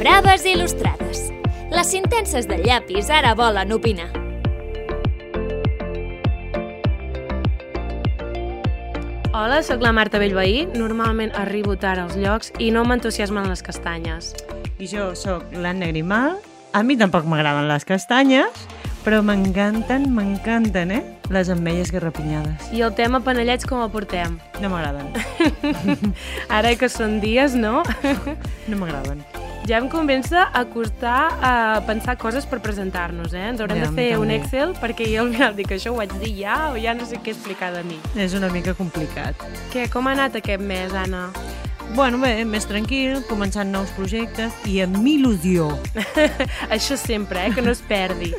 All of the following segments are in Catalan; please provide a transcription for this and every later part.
Braves il·lustrades. Les intenses del llapis ara volen opinar. Hola, sóc la Marta Bellveí. Normalment arribo tard als llocs i no m'entusiasmen les castanyes. I jo sóc l'Anna Grimal. A mi tampoc m'agraden les castanyes, però m'encanten, les ametlles garrapinyades. I el tema panellets com el portem? No m'agraden. Ara que són dies, no? No m'agraden. Ja em comença a costar pensar coses per presentar-nos, Ens haurem de fer un Excel perquè jo al final dic això ho vaig dir ja o ja no sé què explicar de mi. És una mica complicat. Què, com ha anat aquest mes, Anna? Bueno, bé, més tranquil, començant nous projectes i amb il·lusió. Això sempre, que no es perdi.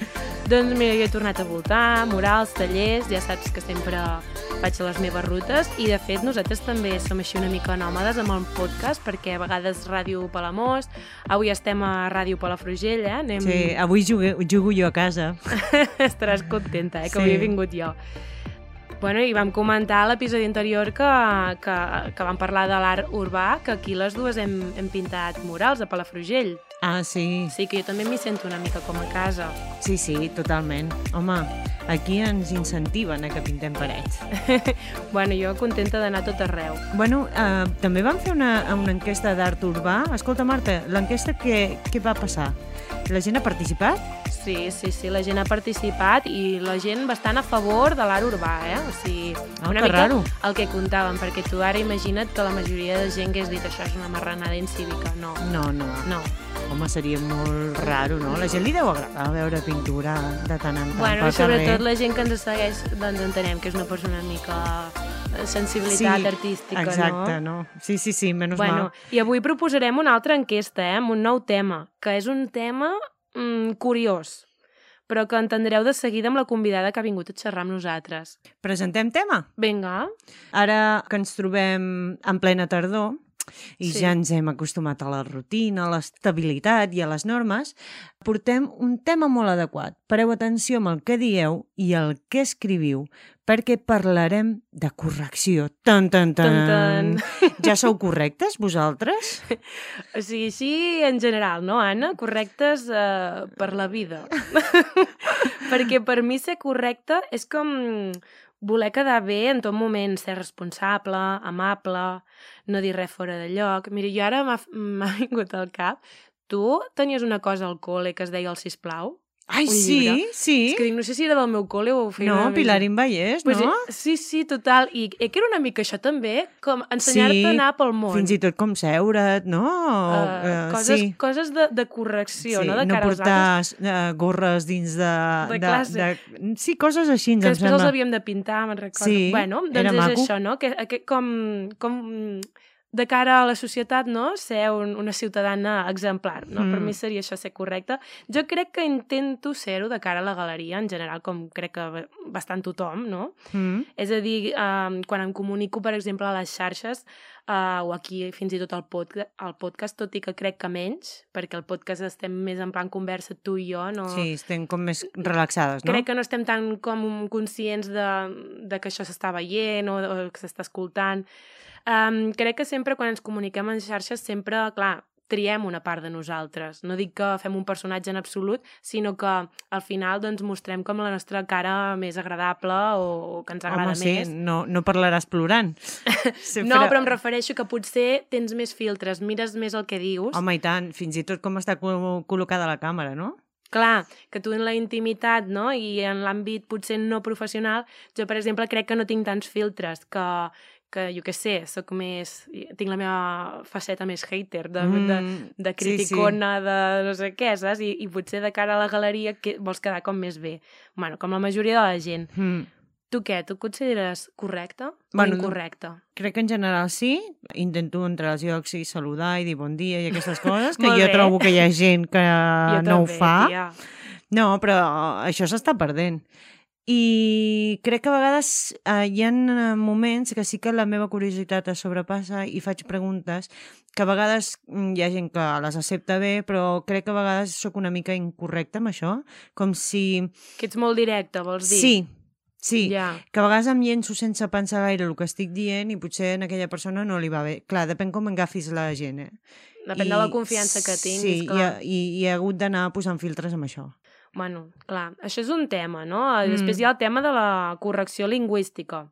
Doncs mira, jo he tornat a voltar, murals, tallers, ja saps que sempre faig les meves rutes i de fet nosaltres també som així una mica nòmades amb el podcast perquè a vegades Ràdio Palamós, avui estem a Ràdio Palafrugell, Sí, avui jugo jo a casa. Estaràs contenta, que Sí. avui he vingut jo. Bueno, i vam comentar a l'episodi anterior que vam parlar de l'art urbà, que aquí les dues hem pintat murals a Palafrugell. Ah, sí. Sí, que jo també m'hi sento una mica com a casa. Sí, totalment. Home, aquí ens incentiven a que pintem parets. Bueno, jo contenta d'anar a tot arreu. Bueno, també vam fer una enquesta d'art urbà. Escolta, Marta, l'enquesta què va passar? La gent ha participat? Sí, la gent ha participat i la gent bastant a favor de l'art urbà, O sigui, una mica raro. el que contàvem, perquè tu ara imagina't que la majoria de gent hagués dit això és una marranada incívica. No. Home, seria molt raro, no? La gent li deu agradar veure pintura de tant en tant Bueno, pel sobretot carrer. la gent que ens segueix, doncs entenem que és una persona una mica sensibilitat artística, exacte, no? Sí, menys mal. I avui proposarem una altra enquesta, amb un nou tema, que és un tema curiós, però que entendreu de seguida amb la convidada que ha vingut a xerrar amb nosaltres. Presentem tema? Vinga. Ara que ens trobem en plena tardor i ja ens hem acostumat a la rutina, a l'estabilitat i a les normes, portem un tema molt adequat. Pareu atenció amb el que dieu i el que escriviu, perquè parlarem de correcció. Tan. Ja sou correctes, vosaltres? O sigui, sí, en general, no, Anna? Correctes per la vida. Perquè per mi ser correcta és com voler quedar bé en tot moment, ser responsable, amable, no dir res fora de lloc. Mira, jo ara m'ha vingut al cap. Tu tenies una cosa al col·le que es deia el sisplau? Ai, llibre. sí. És que dic, no sé si era del meu col·le o ho feia... No, Pilarín Vallès, pues, no? Sí, total. I que era una mica això també, com ensenyar-te a anar pel món. Fins i tot com seure't, no? Coses de correcció, no? De no cara als altres. portar gorres dins de classe. Sí, coses així, que després els havíem de pintar, me'n recordo. Sí, bueno, doncs era és maco. això, no? Que com de cara a la societat, no? Ser una ciutadana exemplar, no? Per mi seria això ser correcta. Jo crec que intento ser-ho de cara a la galeria, en general, com crec que bastant tothom, no? És a dir, quan em comunico, per exemple, a les xarxes, o aquí fins i tot al podcast, tot i que crec que menys, perquè al podcast estem més en plan conversa tu i jo, no? Sí, estem com més relaxades, no? Crec que no estem tan com conscients de que això s'està veient o que s'està escoltant. Crec que sempre quan ens comuniquem en xarxes sempre, clar, triem una part de nosaltres. No dic que fem un personatge en absolut, sinó que al final doncs, mostrem com la nostra cara més agradable o que ens agrada més. No parlaràs plorant. No, però em refereixo que potser tens més filtres, mires més el que dius. Home, i tant, fins i tot com està col·locada la càmera, no? Clar, que tu en la intimitat, no? I en l'àmbit potser no professional, jo, per exemple, crec que no tinc tants filtres, que jo què sé, tinc la meva faceta més hater, de criticona, de no sé què, saps? I potser de cara a la galeria vols quedar com més bé. Bueno, com la majoria de la gent. Tu què? Tu et consideres correcta o incorrecta? Crec que en general sí. Intento entrar als llocs i saludar i dir bon dia i aquestes coses, que jo trobo que hi ha gent que no ho fa. Tia. No, però això s'està perdent. I crec que a vegades hi ha moments que sí que la meva curiositat es sobrepassa i faig preguntes que a vegades hi ha gent que les accepta bé, però crec que a vegades sóc una mica incorrecta amb això, com si... Que ets molt directa, vols dir? Sí, Ja. que a vegades em llenço sense pensar gaire el que estic dient i potser a aquella persona no li va bé. Clar, depèn com agafis la gent, Depèn de la confiança que tinguis, clar. Sí, i he hagut d'anar posant filtres amb això. Bueno, clar, això és un tema, no? Després hi ha el tema de la correcció lingüística.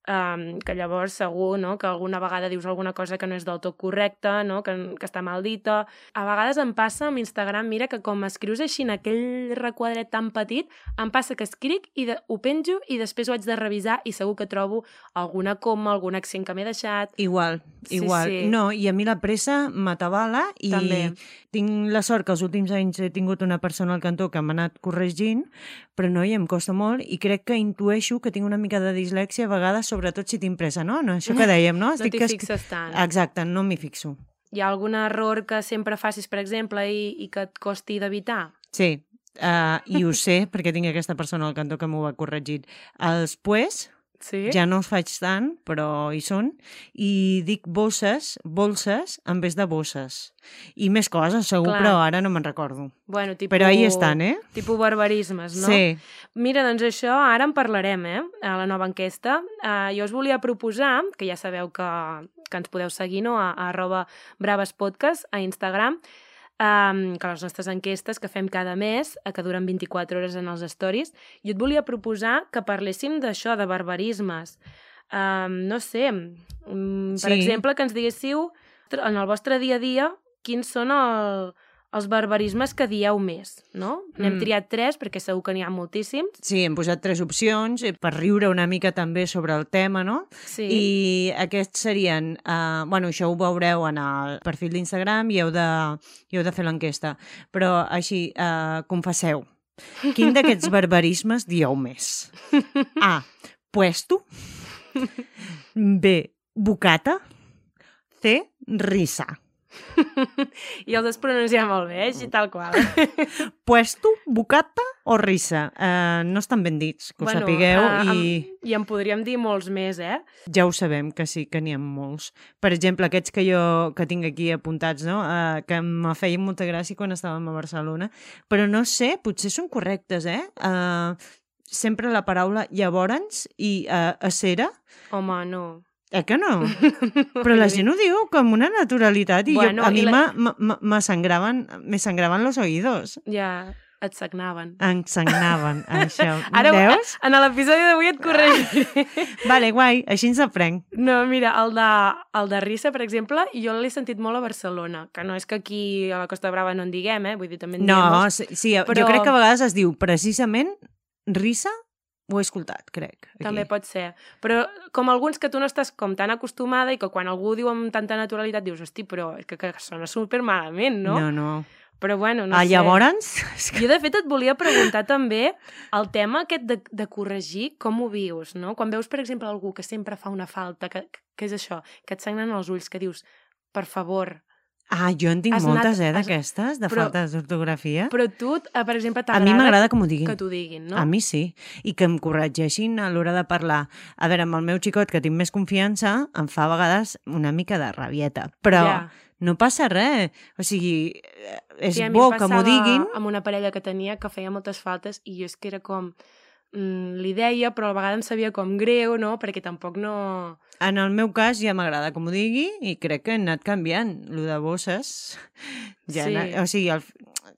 Que llavors segur, no?, que alguna vegada dius alguna cosa que no és del tot correcta, no?, que està mal dita. A vegades em passa amb Instagram, mira, que com escrius així en aquell requadret tan petit, em passa que escric i ho penjo i després ho haig de revisar i segur que trobo alguna coma, algun accent que m'he deixat. Igual. Sí. No, i a mi la pressa m'atabala i També. tinc la sort que els últims anys he tingut una persona al cantó que m'ha anat corregint, però no, i em costa molt i crec que intueixo que tinc una mica de dislèxia a vegades, sobretot si tinc pressa, no? Això que dèiem, no? No t'hi fixes tant. Exacte, no m'hi fixo. Hi ha algun error que sempre facis, per exemple, i que et costi d'evitar? Sí, i ho sé perquè tinc aquesta persona al cantó que m'ho va corregir. Els pues, Sí? ja no els faig tant, però hi són, i dic bolses en vez de bosses. I més coses, segur, Clar. però ara no me'n recordo. Bueno, tipus... Però ahí estan, eh? Tipus barbarismes, no? Sí. Mira, doncs això ara en parlarem, a la nova enquesta. Jo us volia proposar, que ja sabeu que ens podeu seguir, no?, a @bravespodcast a Instagram, que les nostres enquestes que fem cada mes, que duren 24 hores en els stories, jo et volia proposar que parléssim d'això, de barbarismes. No sé, per exemple, que ens diguéssiu en el vostre dia a dia quins són els barbarismes que dieu més, no? N'hem triat 3 perquè segur que n'hi ha moltíssims. Sí, hem posat 3 opcions per riure una mica també sobre el tema, no? Sí. I aquests serien... bueno, això ho veureu en el perfil d'Instagram i heu de fer l'enquesta. Però així, confesseu, quin d'aquests barbarismes dieu més? A, puesto. B, bocata. C, risa. I els has pronunciat molt bé, així tal qual. Puesto, bocata o risa? No estan ben dits, que ho sapigueu. I en podríem dir molts més, Ja ho sabem, que sí, que n'hi ha molts. Per exemple, aquests que tinc aquí apuntats, no? Que em feien molta gràcia quan estàvem a Barcelona. Però no sé, potser són correctes, sempre la paraula llavors i a cera. Home, no. Que no? Però la gent ho diu com una naturalitat i Bueno, a mi me sangraven los oídos. Ja, et sagnaven. Em sagnaven, això. Ara, veus? en l'episodi d'avui et corregiré. Vale, guai, així ens aprenc. No, mira, el de risa, per exemple, jo l'he sentit molt a Barcelona, que no és que aquí a la Costa Brava no en diguem, vull dir, també en diem molts. Sí, però... jo crec que a vegades es diu precisament risa. Ho he escoltat, crec. Aquí. També pot ser. Però com alguns que tu no estàs com tan acostumada i que quan algú ho diu amb tanta naturalitat dius, hosti, però és que sona supermalament, no? No. Però bueno, no sé. Llavors... Jo, de fet, et volia preguntar també el tema aquest de corregir, com ho vius, no? Quan veus, per exemple, algú que sempre fa una falta, que és això, que et sagnen els ulls, que dius, per favor... jo en tinc moltes, d'aquestes, de faltes d'ortografia. Però tu, per exemple, t'agrada... A mi m'agrada que m'ho diguin. Que t'ho diguin, no? A mi sí. I que em corregeixin a l'hora de parlar. A veure, amb el meu xicot, que tinc més confiança, em fa a vegades una mica de rabieta. Però no passa res. O sigui, és bo que m'ho diguin. Amb una parella que tenia que feia moltes faltes i jo és que era com... li deia, però a vegades em sabia com greu, no? Perquè tampoc no... En el meu cas ja m'agrada que m'ho digui i crec que han anat canviant. Lo de bosses... O sigui,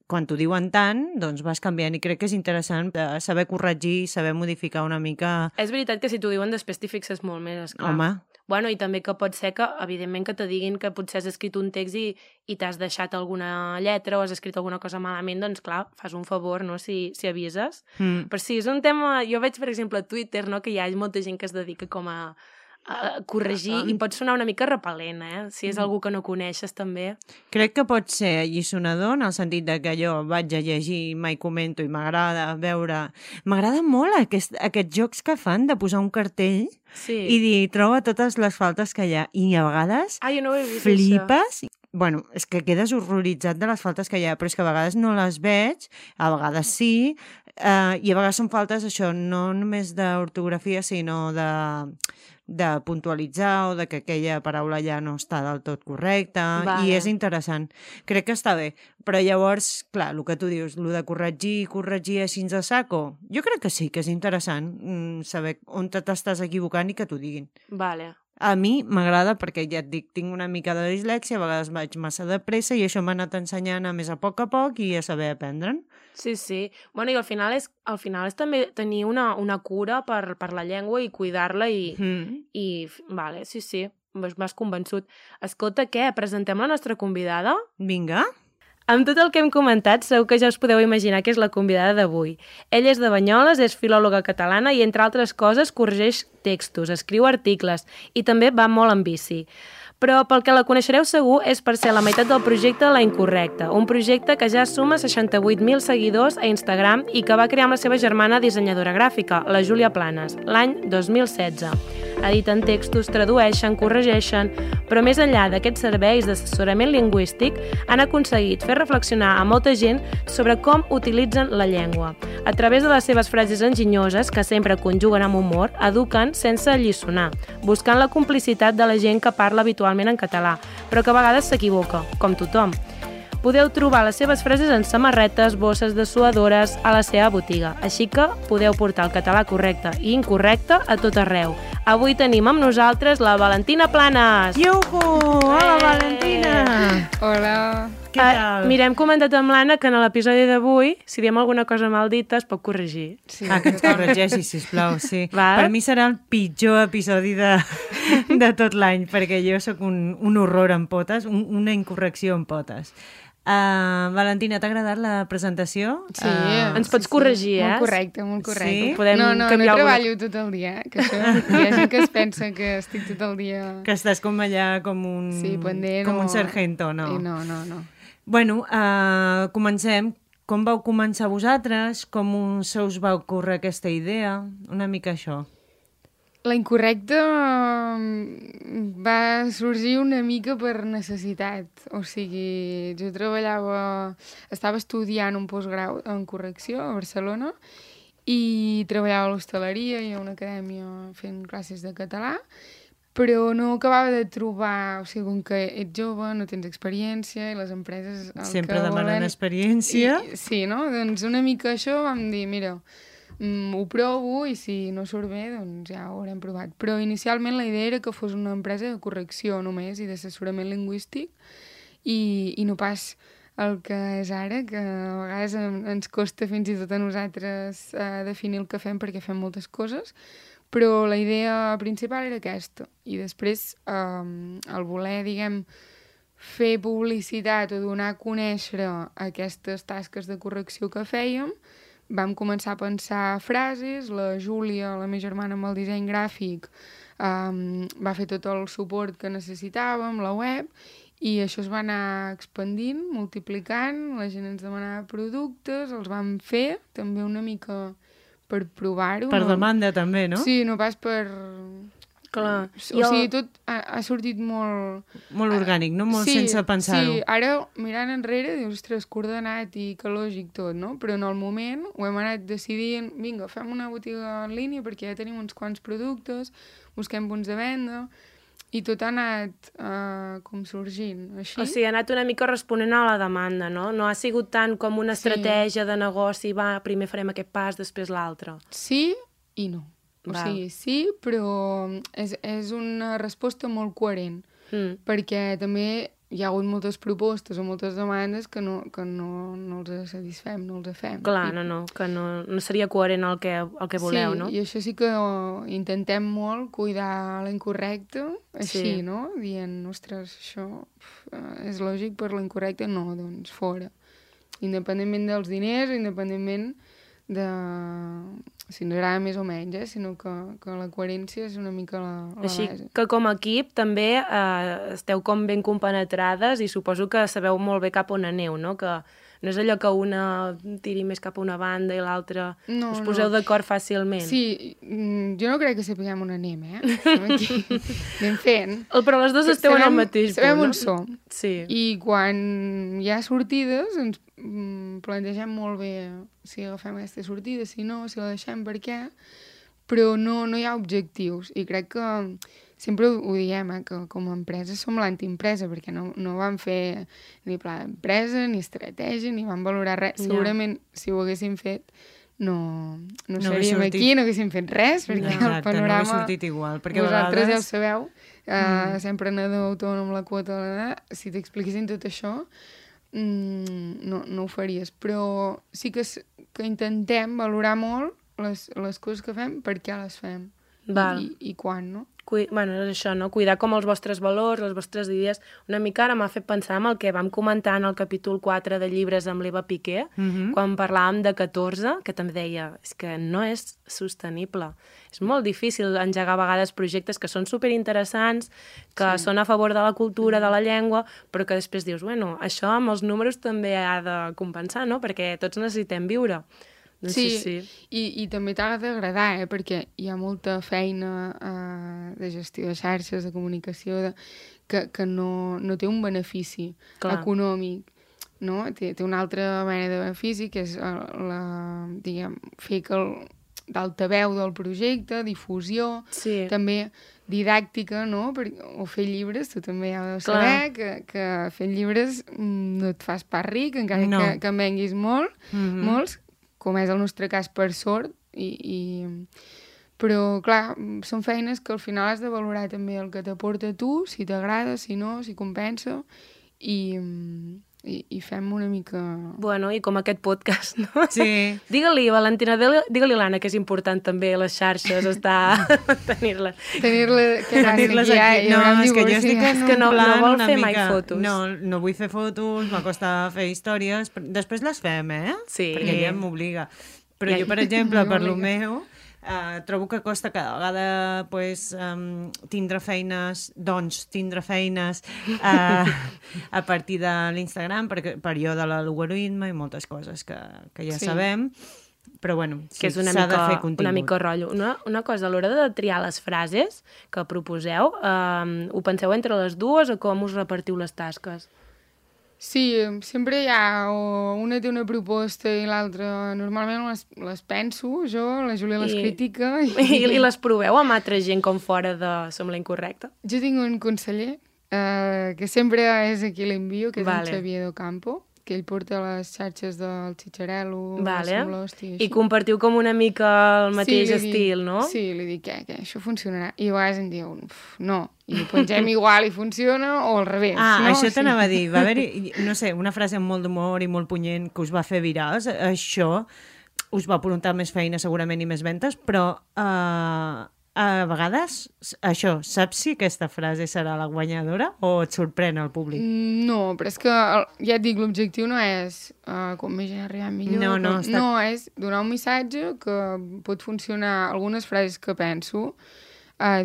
quan t'ho diuen tant, doncs vas canviant i crec que és interessant saber corregir, saber modificar una mica... És veritat que si t'ho diuen després t'hi fixes molt més, esclar. Home... Bueno, i també que pot ser que, evidentment, que te diguin que potser has escrit un text i t'has deixat alguna lletra o has escrit alguna cosa malament, doncs, clar, fas un favor, no?, si avises. Però sí, és un tema... Jo veig, per exemple, a Twitter, no?, que hi ha molta gent que es dedica com a corregir i pot sonar una mica repel·lent, si és algú que no coneixes, també. Crec que pot ser alliçonador en el sentit de que jo vaig a llegir, mai comento i m'agrada veure... M'agrada molt aquests jocs que fan de posar un cartell i dir, troba totes les faltes que hi ha. I a vegades jo no ho he vist, flipes... Bueno, és que quedes horroritzat de les faltes que hi ha, però és que a vegades no les veig, a vegades sí, i a vegades són faltes, això, no només d'ortografia, sinó de puntualitzar o de que aquella paraula ja no està del tot correcta, i és interessant. Crec que està bé, però llavors, clar, el que tu dius, el de corregir així a saco, jo crec que sí, que és interessant saber on t'estàs equivocant i que t'ho diguin. Vale. A mi m'agrada perquè, ja et dic, tinc una mica de dislèxia, a vegades vaig massa de pressa i això m'ha anat ensenyant a més a poc i a saber aprendre'n. Sí. Bueno, i al final és també tenir una cura per la llengua i cuidar-la vale, sí, m'has convençut. Escolta, què? Presentem la nostra convidada? Vinga. Amb tot el que hem comentat, segur que ja us podeu imaginar que és la convidada d'avui. Ella és de Banyoles, és filòloga catalana i, entre altres coses, corregeix textos, escriu articles i també va molt en bici. Però pel que la coneixereu segur és per ser la meitat del projecte La Incorrecta, un projecte que ja suma 68.000 seguidors a Instagram i que va crear amb la seva germana dissenyadora gràfica, la Júlia Planes, l'any 2016. Editen textos, tradueixen, corregeixen, però més enllà d'aquests serveis d'assessorament lingüístic han aconseguit fer reflexionar a molta gent sobre com utilitzen la llengua. A través de les seves frases enginyoses, que sempre conjuguen amb humor, eduquen sense alliçonar, buscant la complicitat de la gent que parla habitualment en català, però que a vegades s'equivoca, com tothom. Podeu trobar les seves frases en samarretes, bosses dessuadores a la seva botiga, així que podeu portar el català correcte i incorrecte a tot arreu. Avui tenim amb nosaltres la Valentina Planes. Iuhu! Hola, Valentina! Hola! Què tal? Mira, hem comentat amb l'Anna que en l'episodi d'avui, si diem alguna cosa mal dita, es pot corregir. Sí. Que ens corregeixi, sisplau, sí. Val. Per mi serà el pitjor episodi de tot l'any, perquè jo sóc un horror en potes, una incorrecció en potes. Valentina, t'ha agradat la presentació? Sí. Ens pots corregir, Molt correcte, molt correcte. Sí? Podem no canviar treballo tot el dia, que això hi ha gent que es pensa que estic tot el dia... Que estàs com allà com un, pendent com un sargento, no? No. Bueno, comencem. Com vau començar vosaltres? Com se us va ocórrer aquesta idea? Una mica això. La Incorrecta va sorgir una mica per necessitat. O sigui, jo estava estudiant un postgrau en correcció a Barcelona i treballava a l'hostaleria i a una acadèmia fent classes de català, però no acabava de trobar, o sigui, com que ets jove, no tens experiència i les empreses... Sempre demanen experiència. Sí, no? Doncs una mica això vam dir, mira, ho provo i si no surt bé, doncs ja ho haurem provat. Però inicialment la idea era que fos una empresa de correcció només i d'assessorament lingüístic i no pas el que és ara, que a vegades ens costa fins i tot a nosaltres definir el que fem perquè fem moltes coses, però la idea principal era aquesta. I després el voler, diguem, fer publicitat o donar a conèixer aquestes tasques de correcció que fèiem, vam començar a pensar frases, la Júlia, la meva germana amb el disseny gràfic, va fer tot el suport que necessitàvem, la web, i això es va anar expandint, multiplicant, la gent ens demanava productes, els vam fer, també una mica per provar-ho. Per demanda també, no? Sí, no pas per... Clar. O sigui, tot ha sortit molt... Molt orgànic, no? Molt sense pensar-ho. Sí, ara mirant enrere dius, ostres, coordenat i que lògic tot, no? Però en el moment ho hem anat decidint, vinga, fem una botiga en línia perquè ja tenim uns quants productes, busquem punts de venda, i tot ha anat com sorgint, així. O sigui, ha anat una mica responent a la demanda, no? No ha sigut tant com una estratègia de negoci, va, primer farem aquest pas, després l'altre. Sí i no. O sigui, sí, però és una resposta molt coherent, perquè també hi ha hagut moltes propostes o moltes demandes que no els satisfem, no els fem. Clar, que no seria coherent el que voleu, no? Sí, i això sí que intentem molt cuidar la Incorrecta, així, no? Dient, ostres, això és lògic per la Incorrecta? No, doncs fora. Independentment dels diners, independentment de... si ens agrada més o menys, sinó que la coherència és una mica la Així base. que com a equip també esteu com ben compenetrades i suposo que sabeu molt bé cap on aneu, no? Que no és allò que una tiri més cap a una banda i l'altra us poseu d'acord fàcilment. Sí, jo no crec que sapiguem on anem, Estem aquí, anem fent. Però les dues esteu en el mateix punt, sabem no? on som. Sí. I quan hi ha sortides ens plantegem molt bé si agafem aquesta sortida, si no, si la deixem, per què, però no hi ha objectius. I crec que sempre ho diem, que com a empresa som l'antiempresa, perquè no vam fer ni pla d'empresa, ni estratègia, ni vam valorar res. Segurament, si ho haguéssim fet, no hagués seríem sortit. aquí, no haguéssim fet res, perquè el Exacte, no hagués panorama... sortit igual. Perquè a vosaltres ja ho vegades... sabeu, ser emprenedor autònom, la quota, si t'expliquessin tot això, no ho faries. Però sí que intentem valorar molt les coses que fem, per què les fem i quan, no? Bueno, és això, no? Cuidar com els vostres valors, les vostres idees. Una mica ara m'ha fet pensar en el que vam comentar en el capítol 4 de llibres amb l'Eva Piqué, quan parlàvem de 14, que també deia, és que no és sostenible. És molt difícil engegar a vegades projectes que són superinteressants, que són a favor de la cultura, de la llengua, però que després dius, bueno, això amb els números també ha de compensar, no? Perquè tots necessitem viure. Sí. I també t'ha d'agradar, perquè hi ha molta feina de gestió de xarxes, de comunicació, que no té un benefici econòmic, no? Té una altra mena de benefici, que és fer d'altaveu del projecte, difusió, també didàctica, no? O fer llibres, tu també ja ho saber, que fent llibres no et fas pas ric, encara que en venguis molts, com és el nostre cas per sort, però, clar, són feines que al final has de valorar també el que t'aporta a tu, si t'agrada, si no, si compensa, i fem una mica... Bueno, i com aquest podcast, no? Sí. Digue-li, Valentina, digue-li a l'Anna que és important també les xarxes, tenir-les. Tenir-les aquí. No, és que jo estic en un plan no vol una fer mica... mai fotos. No vull fer fotos, m'acosta fer històries, després les fem, Sí. Perquè ella m'obliga. Però jo, per exemple, per lo meu... trobo que costa cada vegada tindre feines a partir de l'Instagram, per allò de l'algoritme i moltes coses que ja sabem, però bueno, que és s'ha de fer contingut. Una mica rotllo. Una cosa, a l'hora de triar les frases que proposeu, ho penseu entre les dues o com us repartiu les tasques? Sí, sempre hi ha una té una proposta i l'altra normalment les penso jo, la Júlia les critica i les proveu amb altra gent com fora de Som la Incorrecta? Jo tinc un conseller que sempre és a qui l'envio, que és en Xavier Docampo, que ell porta les xarxes del Xitxarel·lo, Som l'Hòstia, i compartiu com una mica el mateix estil, no? Sí, li dic, què, això funcionarà? I a vegades em diu, no, i ho pengem igual i funciona, o al revés. Això t'anava a dir, va haver-hi, no sé, una frase amb molt d'humor i molt punyent que us va fer virals, això us va aportar més feina segurament i més ventes, però a vegades, això, saps si aquesta frase serà la guanyadora o et sorprèn el públic? No, però és que, ja et dic, l'objectiu no és com més gent arribar millor. No, és donar un missatge que pot funcionar. Algunes frases que penso,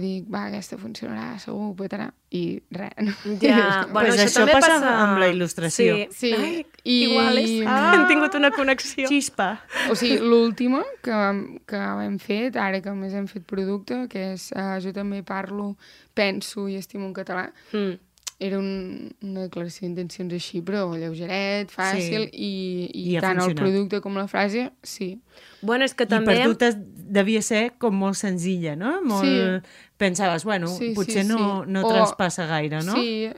dic, aquesta funcionarà, segur, petarà, i res. Ja, bueno, això passa amb la il·lustració. Sí. Ai, igual hem tingut una connexió. Xispa. O sigui, l'última que hem fet, ara que més hem fet producte, que és Jo també parlo, penso i estimo en català, era una declaració d'intencions així, però lleugeret, fàcil, i tant el producte com la frase, sí. Bueno, és que també... I per tu devia ser com molt senzilla, no? Molt... Pensaves, bueno, potser no traspassa gaire, no? Sí,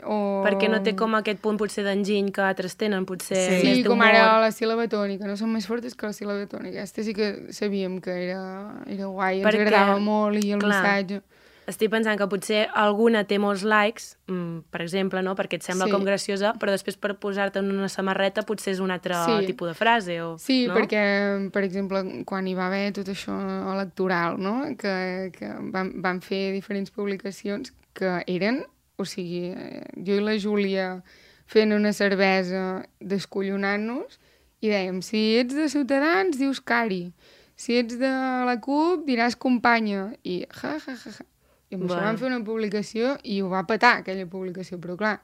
perquè no té com aquest punt potser d'enginy que altres tenen, potser més d'humor. Com ara la síl·laba tònica, no són més fortes que la síl·laba tònica. Aquesta sí que sabíem que era guai, ens agradava molt i el missatge... Estic pensant que potser alguna té molts likes, per exemple, no? Perquè et sembla com graciosa, però després per posar-te en una samarreta potser és un altre tipus de frase. Sí, perquè, per exemple, quan hi va haver tot això electoral, no? Que van fer diferents publicacions que eren, o sigui, jo i la Júlia fent una cervesa descollonant-nos i dèiem, si ets de Ciutadans dius Cari, si ets de la CUP diràs companya, i I amb això vam fer una publicació i ho va petar, aquella publicació. Però, clar,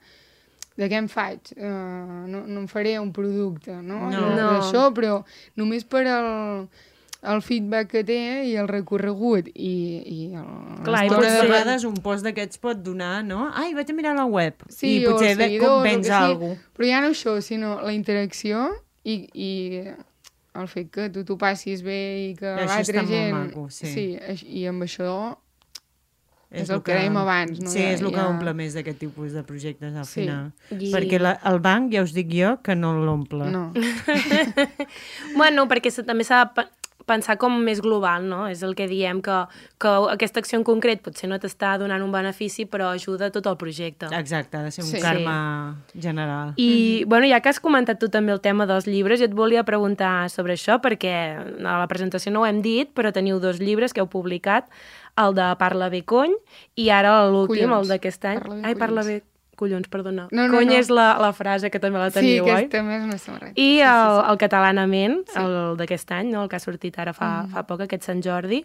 de què em faig? No em faré un producte, no? D'això, però només per el feedback que té i el recorregut i clar, i potser de vegades un post d'aquests pot donar, no? Ai, vaig a mirar la web. Sí, i potser convenç algú. Però ja no això, sinó la interacció i el fet que tu t'ho passis bé i que l'altra gent... Això està molt maco, sí. Sí, i amb això... És el que dèiem abans, no? Sí, és el que omple més d'aquest tipus de projectes al final. Perquè el banc, ja us dic jo, que no l'omple. No. Bueno, perquè també s'ha de pensar com més global, no? És el que diem, que aquesta acció en concret potser no t'està donant un benefici, però ajuda tot el projecte. Exacte, ha de ser un karma general. I, bueno, ja que has comentat tu també el tema dels llibres, jo et volia preguntar sobre això, perquè a la presentació no ho hem dit, però teniu 2 llibres que heu publicat, el de Parla bé cony, i ara l'últim, el d'aquest any. Parla bé collons, perdona. Cony és la frase que també la teniu, oi? Sí, també és una samarreta. I el Catalanament, el d'aquest any, no? El que ha sortit ara fa poc, aquest Sant Jordi.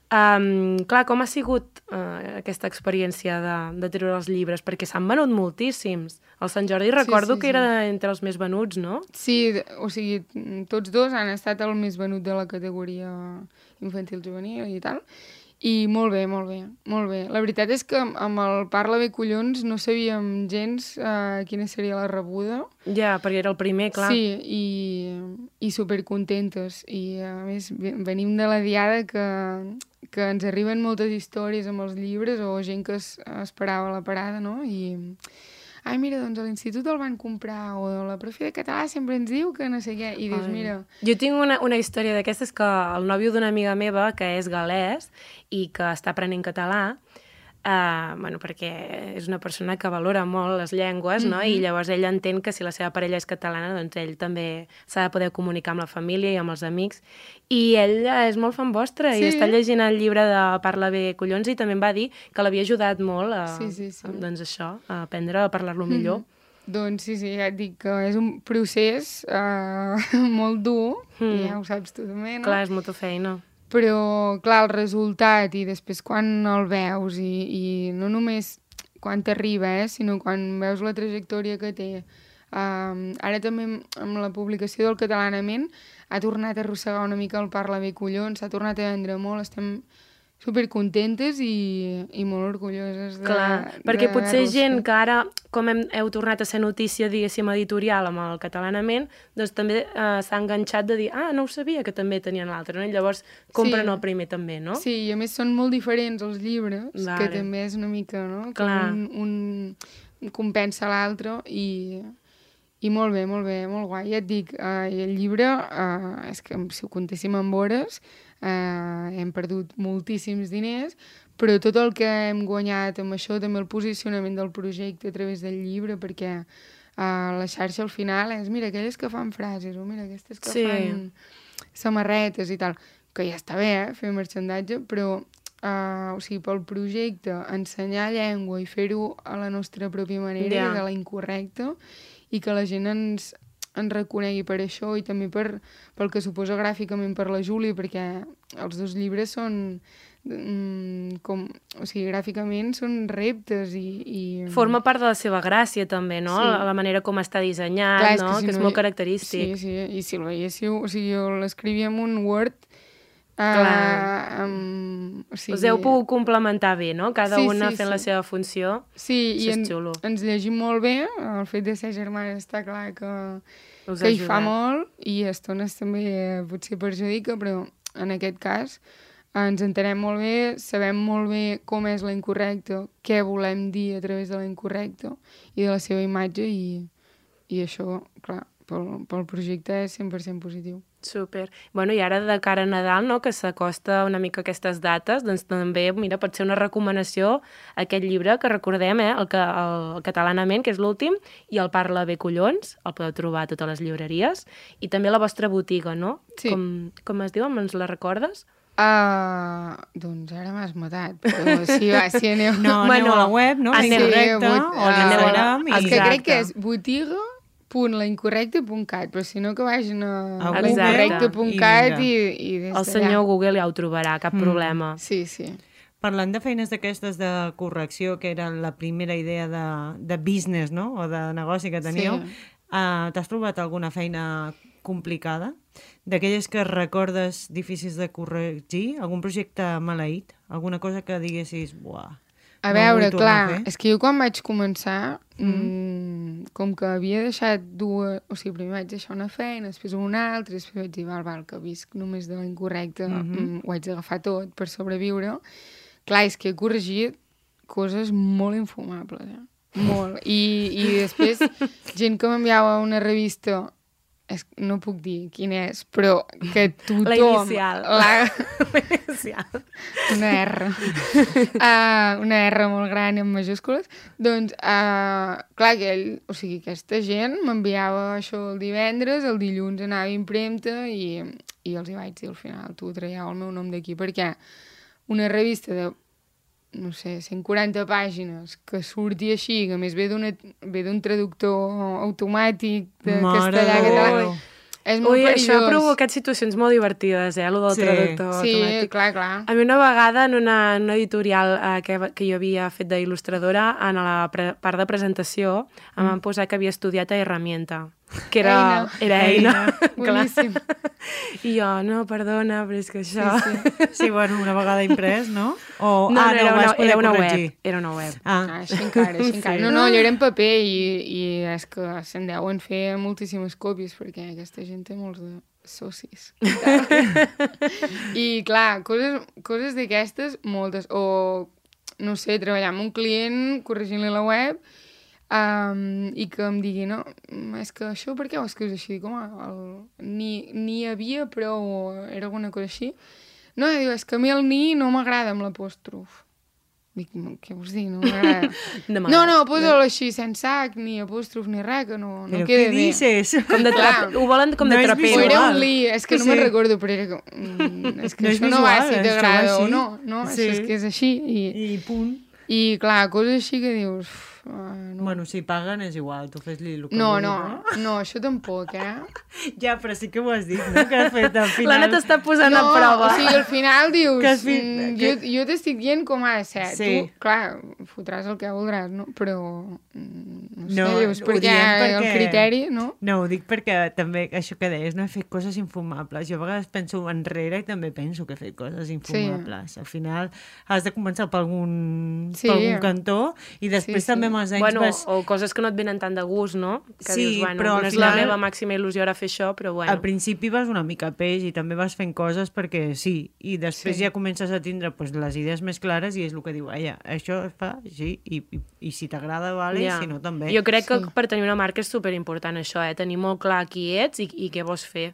Clar, com ha sigut aquesta experiència de treure els llibres? Perquè s'han venut moltíssims. El Sant Jordi recordo que era entre els més venuts, no? Sí, o sigui, tots 2 han estat el més venut de la categoria infantil-juvenil i tal. I molt bé, molt bé, molt bé. La veritat és que amb el Parla bé collons no sabíem gens quina seria la rebuda. Ja, perquè era el primer, clar. Sí, i supercontentes. I a més venim de la diada que ens arriben moltes històries amb els llibres o gent que esperava la parada, no? I ai, mira, doncs a l'institut el van comprar, o la profe de català sempre ens diu que no sé què, i dius, mira... Jo tinc una història d'aquestes que el nòvio d'una amiga meva, que és gal·lès i que està aprenent català, perquè és una persona que valora molt les llengües, no? I llavors ell entén que si la seva parella és catalana, doncs ell també s'ha de poder comunicar amb la família i amb els amics. I ell és molt fan vostre i està llegint el llibre de Parla bé collons i també em va dir que l'havia ajudat molt doncs això, a aprendre a parlar-lo millor. Doncs sí, ja et dic que és un procés molt dur, i ja ho saps tu també, no? Clar, és molta feina. Però, clar, el resultat i després quan el veus i no només quan t'arriba, sinó quan veus la trajectòria que té. Ara també amb la publicació del Catalanament ha tornat a arrossegar una mica el Parla bé collons, s'ha tornat a vendre molt, estem supercontentes i molt orgulloses de... Clar, perquè potser gent que ara, com heu tornat a ser notícia, diguéssim, editorial amb el Catalanament, doncs també s'ha enganxat de dir, no ho sabia que també tenien l'altre, no? I llavors compren el primer també, no? Sí, i a més són molt diferents els llibres, que també és una mica, no? Clar. Un compensa l'altre i molt bé, molt guai. Ja et dic, el llibre, és que si ho comptéssim en hores, hem perdut moltíssims diners, però tot el que hem guanyat amb això, també el posicionament del projecte a través del llibre, perquè la xarxa al final és, mira, aquelles que fan frases, o mira, aquestes que fan samarretes i tal, que ja està bé, fer merchandatge, però o sigui, pel projecte, ensenyar llengua i fer-ho a la nostra pròpia manera, de la incorrecta, i que la gent ens reconegui per això i també pel que suposa gràficament per la Júlia, perquè els 2 llibres són gràficament són reptes i... Forma part de la seva gràcia també, no? Sí. La manera com està dissenyat, clar, no? Que és molt característic. Sí, i si el veiéssiu, o sigui, jo l'escrivia en un Word. Us heu pogut complementar bé, no? Cada una fent la seva funció. Sí, i ens llegim molt bé. El fet de ser germanes està clar que hi fa molt, i a estones també potser perjudica, però en aquest cas ens entenem molt bé, sabem molt bé com és la incorrecta, què volem dir a través de la incorrecta i de la seva imatge, i això, clar, pel projecte és 100% positiu. Super. Bueno, i ara de cara a Nadal, no?, que s'acosta una mica aquestes dates, doncs també, mira, pot ser una recomanació aquest llibre que recordem, el Catalanament, que és l'últim, i el Parla bé collons, el podeu trobar a totes les llibreries, i també a la vostra botiga, no? Sí. Com es diu? Ens la recordes? Doncs ara m'has matat, però si aneu... No, aneu a la web, no? Aneu recte, o a l'Instagram. És que crec que és botiga.laincorrecte.cat, però si no que vagin a incorrecte.cat i des d'allà. El senyor Google ja ho trobarà, cap problema. Sí. Parlant de feines d'aquestes de correcció, que era la primera idea de business, no?, o de negoci que teníeu, t'has trobat alguna feina complicada? D'aquelles que recordes difícils de corregir? Algun projecte maleït? Alguna cosa que diguessis, buah... A veure, clar, és que jo quan vaig començar, com que havia deixat dues... O sigui, primer vaig deixar una feina, després una altra, després vaig dir, val, que visc només de la incorrecta, ho haig d'agafar tot per sobreviure. Clar, és que he corregit coses molt infumables, molt. I després, gent que m'enviava una revista no puc dir quin és, però que tothom... La inicial. La inicial. Una R. Una R molt gran en majúscules. Doncs, clar, o sigui, aquesta gent m'enviava això el divendres, el dilluns anava a impremta i els hi vaig dir al final, tu traieu el meu nom d'aquí, perquè una revista de no sé, 140 pàgines, que surti així, que a més ve d'un traductor automàtic de castellà a català, és molt perillós. Això ha provocat situacions molt divertides, lo del traductor automàtic. Sí, clar. A mi una vegada en una editorial que jo havia fet d'il·lustradora, en la part de presentació, em van posar que havia estudiat a Herramienta, que era Eina. Boníssim. I jo, no, perdona, però és que això... Sí, bueno, una vegada imprès, no? No, era una web. Era una web. Així encara. No, allò era en paper i és que se'n deuen fer moltíssimes còpies perquè aquesta gent té molts de socis. I clar, coses d'aquestes, moltes. O, no sé, treballar amb un client, corregint-li la web, i que em digui, no, és que això per què ho escrius així? Dic, home, ni hi havia, però era alguna cosa així. No, diu, és que a mi el ni no m'agrada amb l'apòstrof. Dic, què vols dir? No m'agrada. No, posa-lo així, sense H, ni apòstrof, ni res, que no queda bé. Però què dices? Ho volen com de trapero. O era un li, és que no me'n recordo, però era és que això no va, si t'agrada o no. No, és que és així. I punt. I clar, coses així que dius... No. Bueno, si paguen és igual, tu fes-li el que vulguis, no, això tampoc, Ja, però sí que ho has dit, no? Que has fet al final... L'Anna t'està posant a prova. O sigui, al final dius, jo t'estic dient com ha de ser. Sí. Tu, clar, fotràs el que voldràs, no? Però, no sé, dius, perquè el criteri, no? No, ho dic perquè també, això que deies, no he fet coses infumables. Jo a vegades penso enrere i també penso que he fet coses infumables. Al final has de començar per algun cantó i després també amb els anys o coses que no et venen tant de gust, no? Que dius, no és la meva màxima il·lusió ara fer això, però bueno. Al principi vas una mica a peix i també vas fent coses perquè sí, i després ja comences a tindre les idees més clares i és el que diu, això es fa així i si t'agrada, vale, si no també. Jo crec que per tenir una marca és superimportant això, tenir molt clar qui ets i què vols fer.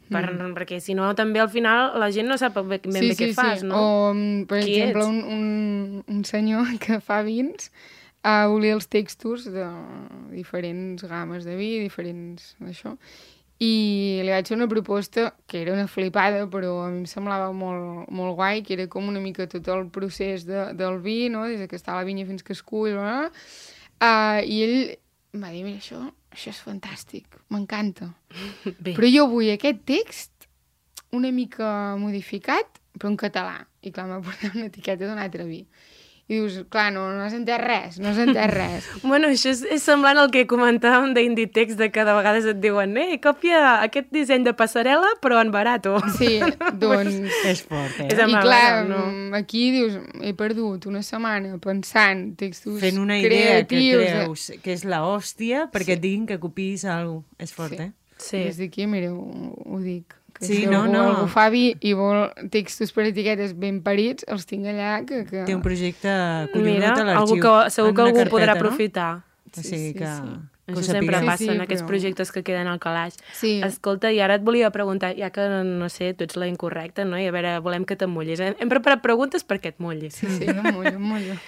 Perquè si no també al final la gent no sap ben bé què fas, no? O, per exemple, un senyor que fa vins volia els textos de diferents games de vi, diferents d'això, i li vaig fer una proposta que era una flipada, però a mi em semblava molt, molt guai, que era com una mica tot el procés del vi, no? Des que està a la vinya fins que es cull, i ell em va dir, mira, això és fantàstic, m'encanta, però jo vull aquest text una mica modificat, però en català, i clar, m'ha portat una etiqueta d'un altre vi. I dius, clar, no has entès res. Bueno, això és semblant al que comentàvem d'Inditex, de que de vegades et diuen còpia aquest disseny de passarel·la, però en barato. Sí, doncs... És fort, I clar, aquí dius, he perdut una setmana pensant textos creatius... Fent una idea que creus que és l'hòstia perquè et diguin que copiïs alguna cosa. És fort, Sí. Des d'aquí, mira, ho dic. Sí, si algú fa vi i vol textos per etiquetes ben parits, els tinc allà que... Té un projecte collonut a l'arxiu. Mira, segur que algú podrà aprofitar. O sigui que... Això sempre passa en aquests projectes que queden al calaix. Sí. Escolta, i ara et volia preguntar, ja que, no sé, tu ets la incorrecta, no? I a veure, volem que t'emullis. Hem preparat preguntes perquè et mullis. Sí, em mullo.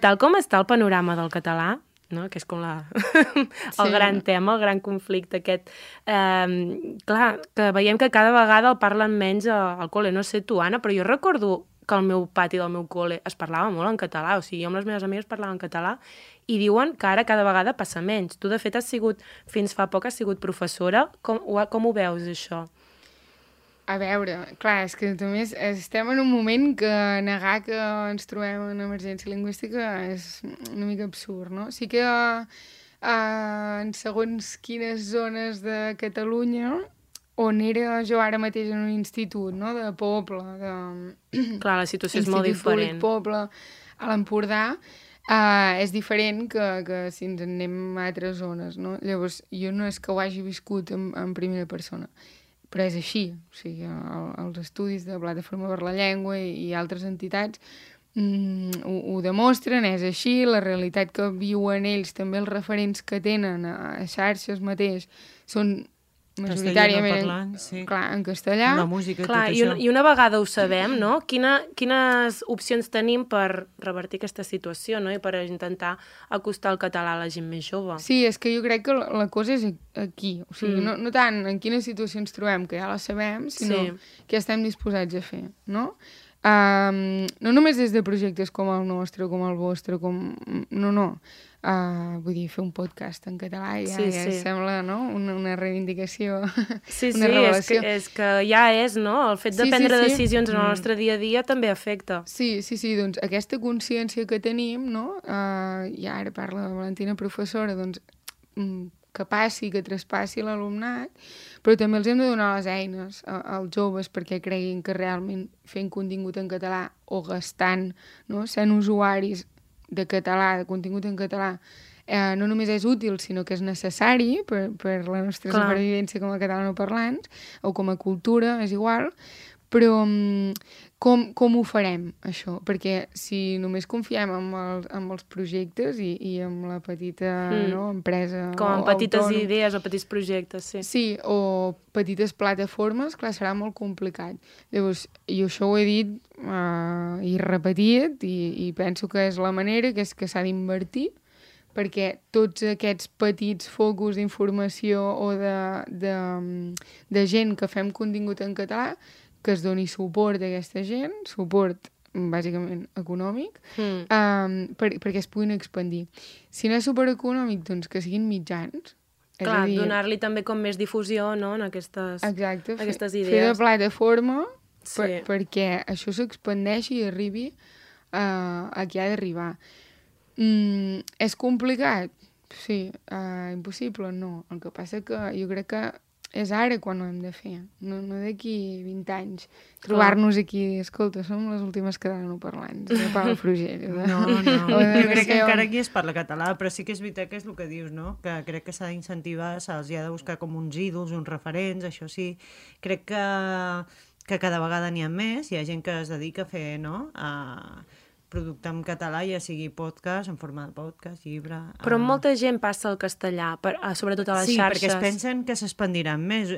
Tal com està el panorama del català, no? Que és com el gran tema, el gran conflicte aquest. Clar, que veiem que cada vegada el parlen menys al col·le. No sé tu, Anna, però jo recordo que al meu pati del meu col·le es parlava molt en català, o sigui, jo amb les meves amigues parlava en català i diuen que ara cada vegada passa menys. Tu, de fet, fins fa poc has sigut professora. Com ho veus, això? A veure, clar, és que també estem en un moment que negar que ens trobem en emergència lingüística és una mica absurd, no? Sí que en segons quines zones de Catalunya, on era jo ara mateix en un institut, no?, de poble, clar, la situació és molt diferent. Institut Públic Poble, a l'Empordà, és diferent que si ens en anem a altres zones, no? Llavors, jo no és que ho hagi viscut en primera persona, però és així, o sigui, els estudis de Plataforma per la Llengua i altres entitats ho demostren, és així, la realitat que viuen ells, també els referents que tenen a xarxes mateix, són majoritàriament parlant, sí. Clar, en castellà. La música i Clar, tot i això. una vegada ho sabem, no? Quines opcions tenim per revertir aquesta situació, no? I per intentar acostar el català a la gent més jove. Sí, és que jo crec que la cosa és aquí. O sigui, no tant en quina situació ens trobem, que ja la sabem, sinó què estem disposats a fer, no? No només des de projectes com el nostre, com el vostre, No. Vull dir, fer un podcast en català ja sembla, no?, una reivindicació, una revelació. És que ja és, no? El fet de prendre decisions en el nostre dia a dia també afecta. Sí, doncs aquesta consciència que tenim, no?, i ara parla la Valentina professora, doncs que passi, que traspassi l'alumnat, però també els hem de donar les eines als joves perquè creguin que realment fent contingut en català o gastant, no?, sent usuaris de català, de contingut en català, no només és útil, sinó que és necessari per la nostra supervivència com a catalanoparlants, o com a cultura, és igual, però com ho farem, això? Perquè si només confiem en els projectes i en la petita empresa com en petites idees o petits projectes, sí. Sí, o petites plataformes, clar, serà molt complicat. Llavors, jo això ho he dit i repetit i penso que és la manera, que és que s'ha d'invertir, perquè tots aquests petits focus d'informació o de gent que fem contingut en català, que es doni suport a aquesta gent, suport bàsicament econòmic, perquè es puguin expandir. Si no és suport econòmic, doncs que siguin mitjans. Clar, donar-li també com més difusió, no?, en aquestes idees. Fer de plataforma perquè això s'expandeixi i arribi a qui ha d'arribar. És complicat? Sí. Impossible? No. El que passa que jo crec que és ara quan ho hem de fer, no d'aquí 20 anys. Trobar-nos aquí, escolta, som les últimes catalanoparlants de Palafrugell. No. Jo crec que encara aquí es parla català, però sí que és veritat que és el que dius, no? Que crec que s'ha d'incentivar, se'ls ha de buscar com uns ídols, uns referents, això sí. Crec que cada vegada n'hi ha més, hi ha gent que es dedica a fer, no?, producte en català, ja sigui podcast, en forma de podcast, llibre... Però molta gent passa al castellà, sobretot a les xarxes. Sí, perquè es pensen que s'expandiran més.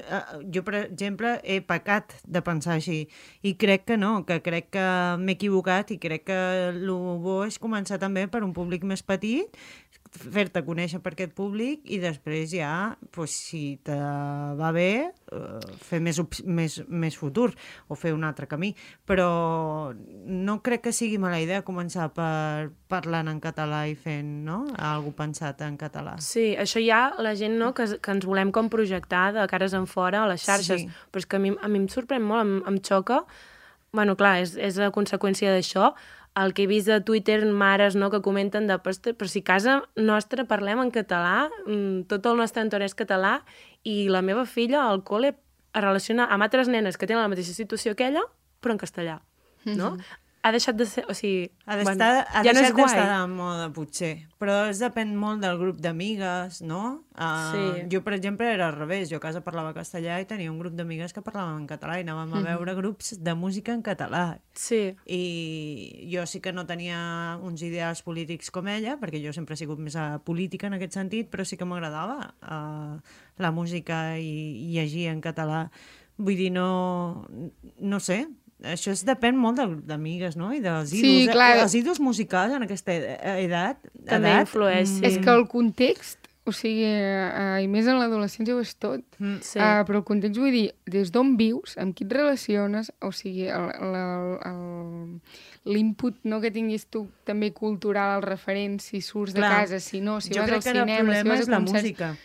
Jo, per exemple, he pecat de pensar així, i crec que no, que crec que m'he equivocat i crec que el bo és començar també per un públic més petit, fer-te conèixer per aquest públic i després ja, si te va bé, fer més futur o fer un altre camí. Però no crec que sigui mala idea començar parlant en català i fent, no?, algú pensat en català. Sí, això ja la gent, no?, que ens volem com projectar de cares en fora a les xarxes, però és que a mi em sorprèn molt, em xoca. Bueno, clar, és a conseqüència d'això, el que he vist a Twitter, mares, no?, que comenten però si a casa nostra parlem en català, tot el nostre entorn és català, i la meva filla al col·le es relaciona amb altres nenes que tenen la mateixa situació que ella, però en castellà, no? Ha deixat de ser... O sigui, ha deixat d'estar de moda, potser. Però depèn molt del grup d'amigues, no? Jo, per exemple, era al revés. Jo a casa parlava castellà i tenia un grup d'amigues que parlaven en català i anàvem a veure grups de música en català. Sí. I jo sí que no tenia uns ideals polítics com ella, perquè jo sempre he sigut més política en aquest sentit, però sí que m'agradava la música i llegir en català. Vull dir, no sé... Això depèn molt del grup d'amigues, no?, i dels ídols. Sí, clar. Els ídols musicals en aquesta edat... També influeix, sí. És que el context, o sigui, i més en l'adolescència ho és tot, però el context, vull dir, des d'on vius, amb qui et relaciones, o sigui, l'input, no?, que tinguis tu també cultural, el referent, si surts de casa, si no, si vas al cinema, si vas a concerts... Jo crec que el problema és la música.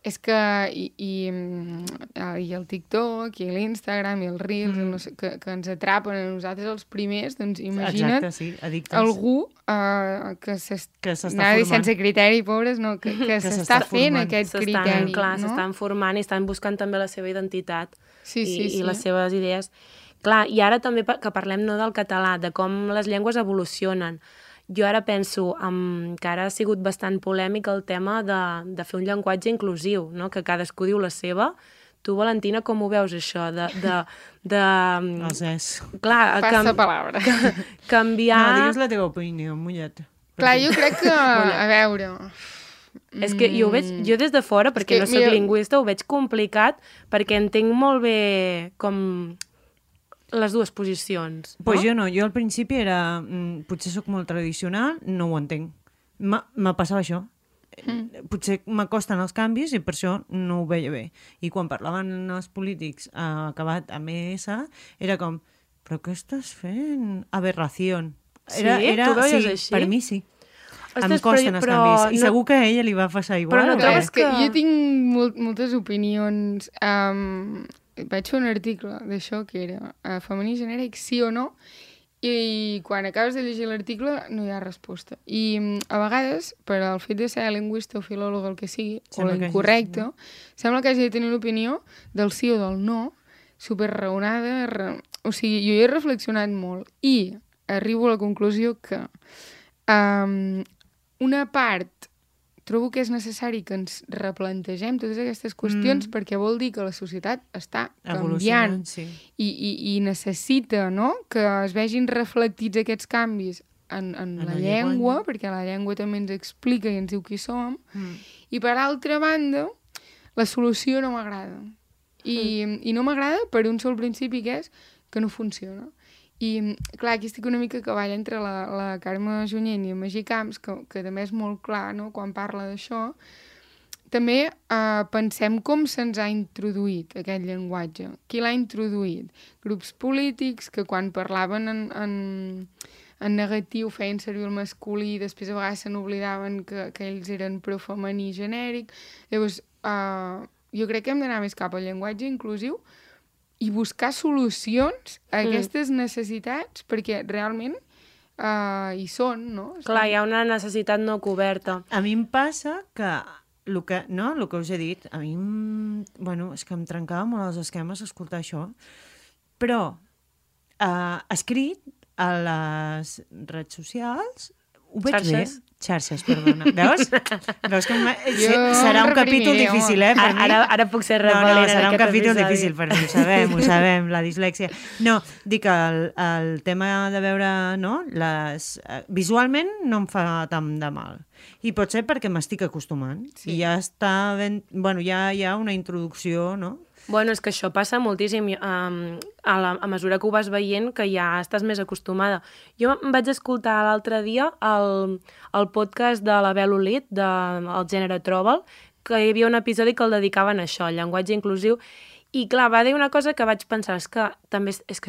És que i el TikTok, i l'Instagram, i el Reels, que ens atrapen a nosaltres els primers, doncs imagina't algú que s'està sense criteri, pobres, no, que s'està fent aquest criteri. Clar, s'estan formant i estan buscant també la seva identitat i les seves idees. Clar, i ara també que parlem no del català, de com les llengües evolucionen. Jo ara penso que ara ha sigut bastant polèmic el tema de fer un llenguatge inclusiu, no?, que cadascú diu la seva. Tu, Valentina, com ho veus, això? Els és. Clar, passa palabra. Canviar... No, digues la teva opinió, mullet. Clar, jo crec que, a veure, És que jo des de fora, perquè no soc lingüista, ho veig complicat, perquè entenc molt bé com les dues posicions. No? Pues jo no, jo al principi era... potser sóc molt tradicional, no ho entenc. Me passava això. Potser m'acosten els canvis i per això no ho veia bé. I quan parlaven els polítics acabat amb ES, era com, però què estàs fent? Aberració. Sí? Tu veies així? Per mi sí. Em costen els canvis. I segur que a ella li va passar igual. Però no trobes que... Jo tinc moltes opinions... Vaig fer un article d'això que era femení genèric, sí o no, i quan acabes de llegir l'article no hi ha resposta. I a vegades, per al fet de ser lingüista o filòleg, el que sigui, sembla o l'incorrecte, sembla que hagi de tenir una opinió del sí o del no, superraonada. O sigui, jo hi he reflexionat molt i arribo a la conclusió que una part trobo que és necessari que ens replantegem totes aquestes qüestions perquè vol dir que la societat està canviant i necessita, no?, que es vegin reflectits aquests canvis en la llengua, perquè la llengua també ens explica i ens diu qui som, i per altra banda, la solució no m'agrada. I no m'agrada per un sol principi, que és que no funciona. I, clar, aquí estic una mica a cavall entre la Carme Junyent i el Magí Camps, que també és molt clar, no?, quan parla d'això. També pensem com se'ns ha introduït aquest llenguatge. Qui l'ha introduït? Grups polítics que quan parlaven en negatiu feien servir el masculí i després a vegades se n'oblidaven que ells eren pro-femení genèric. Llavors, jo crec que hem d'anar més cap al llenguatge inclusiu i buscar solucions a aquestes necessitats, perquè realment hi són, no? Clar, hi ha una necessitat no coberta. A mi em passa que el que us he dit, a mi és que em trencava molt els esquemes escoltar això, però escrit a les redes socials ho veig bé. Xarxes, perdona. Veus? Que serà un capítol difícil, per mi. Ara puc ser rebel·lent. No, serà un capítol difícil per mi, ho sabem, la dislèxia. No, dic que el tema de veure, no, visualment no em fa tant de mal. I pot ser perquè m'estic acostumant. I ja està ben... Bueno, ja hi ha una introducció, no? Bueno, és que això passa moltíssim a mesura que ho vas veient, que ja estàs més acostumada. Jo em vaig escoltar l'altre dia el podcast de la Bel Olit, del gènere Trobal, que hi havia un episodi que el dedicaven a això, al llenguatge inclusiu, i clar, va dir una cosa que vaig pensar, és que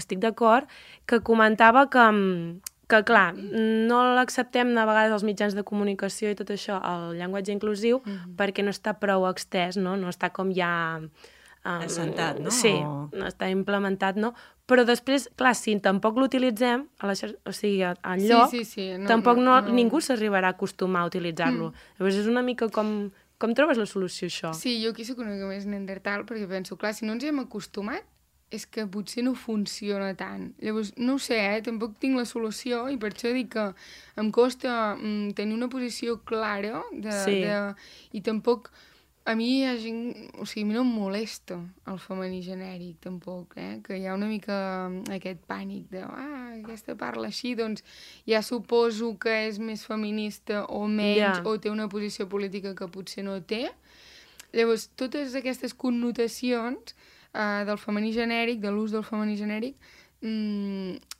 estic d'acord, que comentava que clar, no l'acceptem a vegades als mitjans de comunicació i tot això, el llenguatge inclusiu, perquè no està prou extès, no està com ja... assentat, no? Sí, està implementat, no? Però després, clar, si tampoc l'utilitzem, o sigui, enlloc, tampoc ningú s'arribarà a acostumar a utilitzar-lo. Llavors és una mica com trobes la solució, això? Sí, jo aquí soc una mica més neandertal, perquè penso, clar, si no ens hi hem acostumat, és que potser no funciona tant. Llavors, no ho sé, tampoc tinc la solució i per això dic que em costa tenir una posició clara i tampoc... A mi hi ha gent... O sigui, a mi no em molesta el femení genèric, tampoc, que hi ha una mica aquest pànic de aquesta parla així, doncs ja suposo que és més feminista o menys, o té una posició política que potser no té. Llavors, totes aquestes connotacions del femení genèric, de l'ús del femení genèric,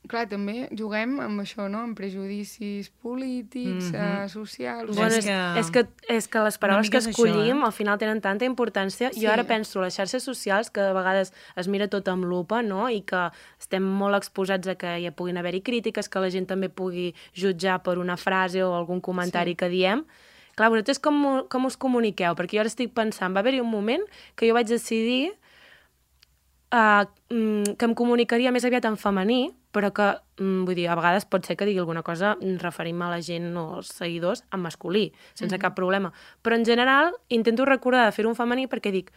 clar, també juguem amb això, no?, amb prejudicis polítics, socials... Bueno, és que les paraules que escollim al final tenen tanta importància. Jo ara penso en les xarxes socials, que de vegades es mira tot amb lupa, no?, i que estem molt exposats a que hi puguin haver-hi crítiques, que la gent també pugui jutjar per una frase o algun comentari que diem. Clar, vosaltres com us comuniqueu? Perquè jo ara estic pensant, va haver-hi un moment que jo vaig decidir que em comunicaria més aviat en femení, però que, vull dir, a vegades pot ser que digui alguna cosa referint-me a la gent o als seguidors en masculí, sense cap problema. Però en general intento recordar de fer-ho en femení perquè dic,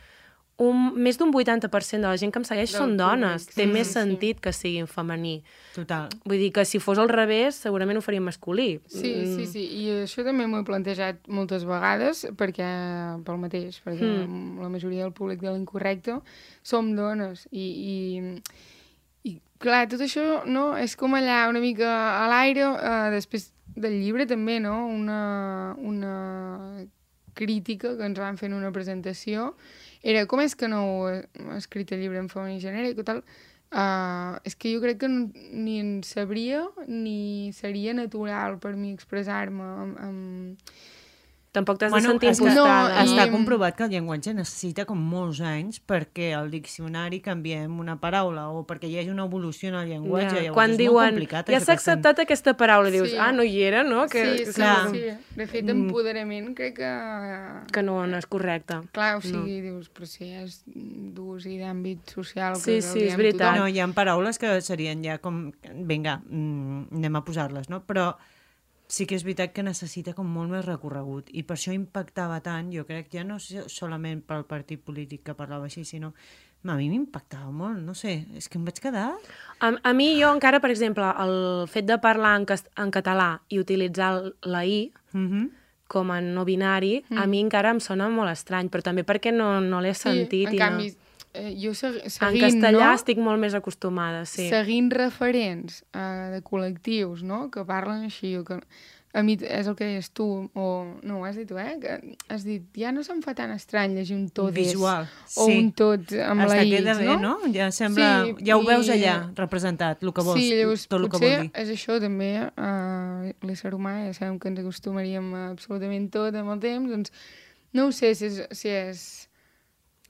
més d'un 80% de la gent que em segueix són dones. Té més sentit que sigui en femení. Total. Vull dir que si fos al revés, segurament ho faria en masculí. Sí. I això també m'ho he plantejat moltes vegades pel mateix, perquè la majoria del públic de l'Incorrecte som dones. I clar, tot això no, és com allà una mica a l'aire, després del llibre també, no? crítica que ens van fer en una presentació era com és que no heu escrit el llibre en femení genèric o tal. És que jo crec que ni en sabria ni seria natural per mi expressar-me amb Tampoc t'has de sentir impostada. No, està comprovat que el llenguatge necessita com molts anys perquè el diccionari canviem una paraula o perquè hi hagi una evolució en el llenguatge. Ja. Quan diuen, ja s'ha acceptat aquesta paraula, dius, no hi era, no? Sí. De fet, empoderament crec que no és correcte. Clar, o sigui, dius, però si és d'ús i d'àmbit social... Sí, és veritat. No, hi ha paraules que serien ja com, vinga, anem a posar-les, no? Però sí que és veritat que necessita com molt més recorregut i per això impactava tant, jo crec, ja no solament pel partit polític que parlava així, sinó a mi m'impactava molt, no sé, és que em vaig quedar... A mi, jo encara, per exemple, el fet de parlar en català i utilitzar la I com a no binari, a mi encara em sona molt estrany, però també perquè no l'he sentit. En canvi, jo seguint, en castellà estic molt més acostumada, sí. Seguint referents de col·lectius, no?, que parlen així, o que a mi és el que deies tu, o no, ho has dit tu, que has dit, ja no se'm fa tan estrany llegir un tot visual, o un tot amb la I, queda bé, no? Ja sembla, ja ho veus allà representat, el que vols, tot el que vol dir. Potser és això també, l'ésser humà, ja sabem que ens acostumaríem a absolutament tot amb el temps, doncs no ho sé si és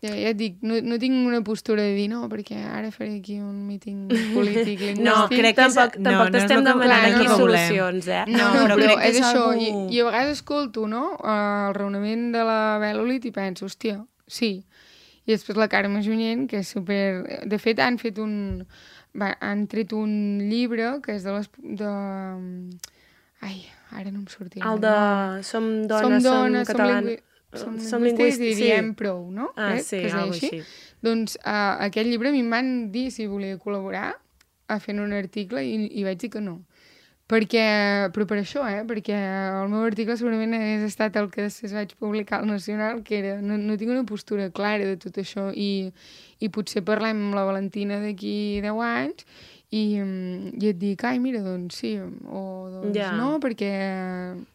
ja et dic, no tinc una postura de dir no, perquè ara faré aquí un míting polític lingüístic. No, crec que tampoc t'estem demanant aquí solucions, No, però és això. I a vegades escolto, no?, el raonament de la Bel-Olit i penso, hòstia, sí. I després la Carme Junyent, que és super... De fet, han tret un llibre que és de les... Ai, ara no em sortirà. El de Som dones, som catalans. Som lingüistes i diem prou, no? Sí, alguna cosa així. Doncs aquest llibre a mi em van dir si volia col·laborar a fer un article i vaig dir que no. Però per això, perquè el meu article segurament hagués estat el que després vaig publicar al Nacional, que era, no tinc una postura clara de tot això i potser parlem amb la Valentina d'aquí 10 anys i et dic, ai, mira, doncs sí, o doncs no, perquè...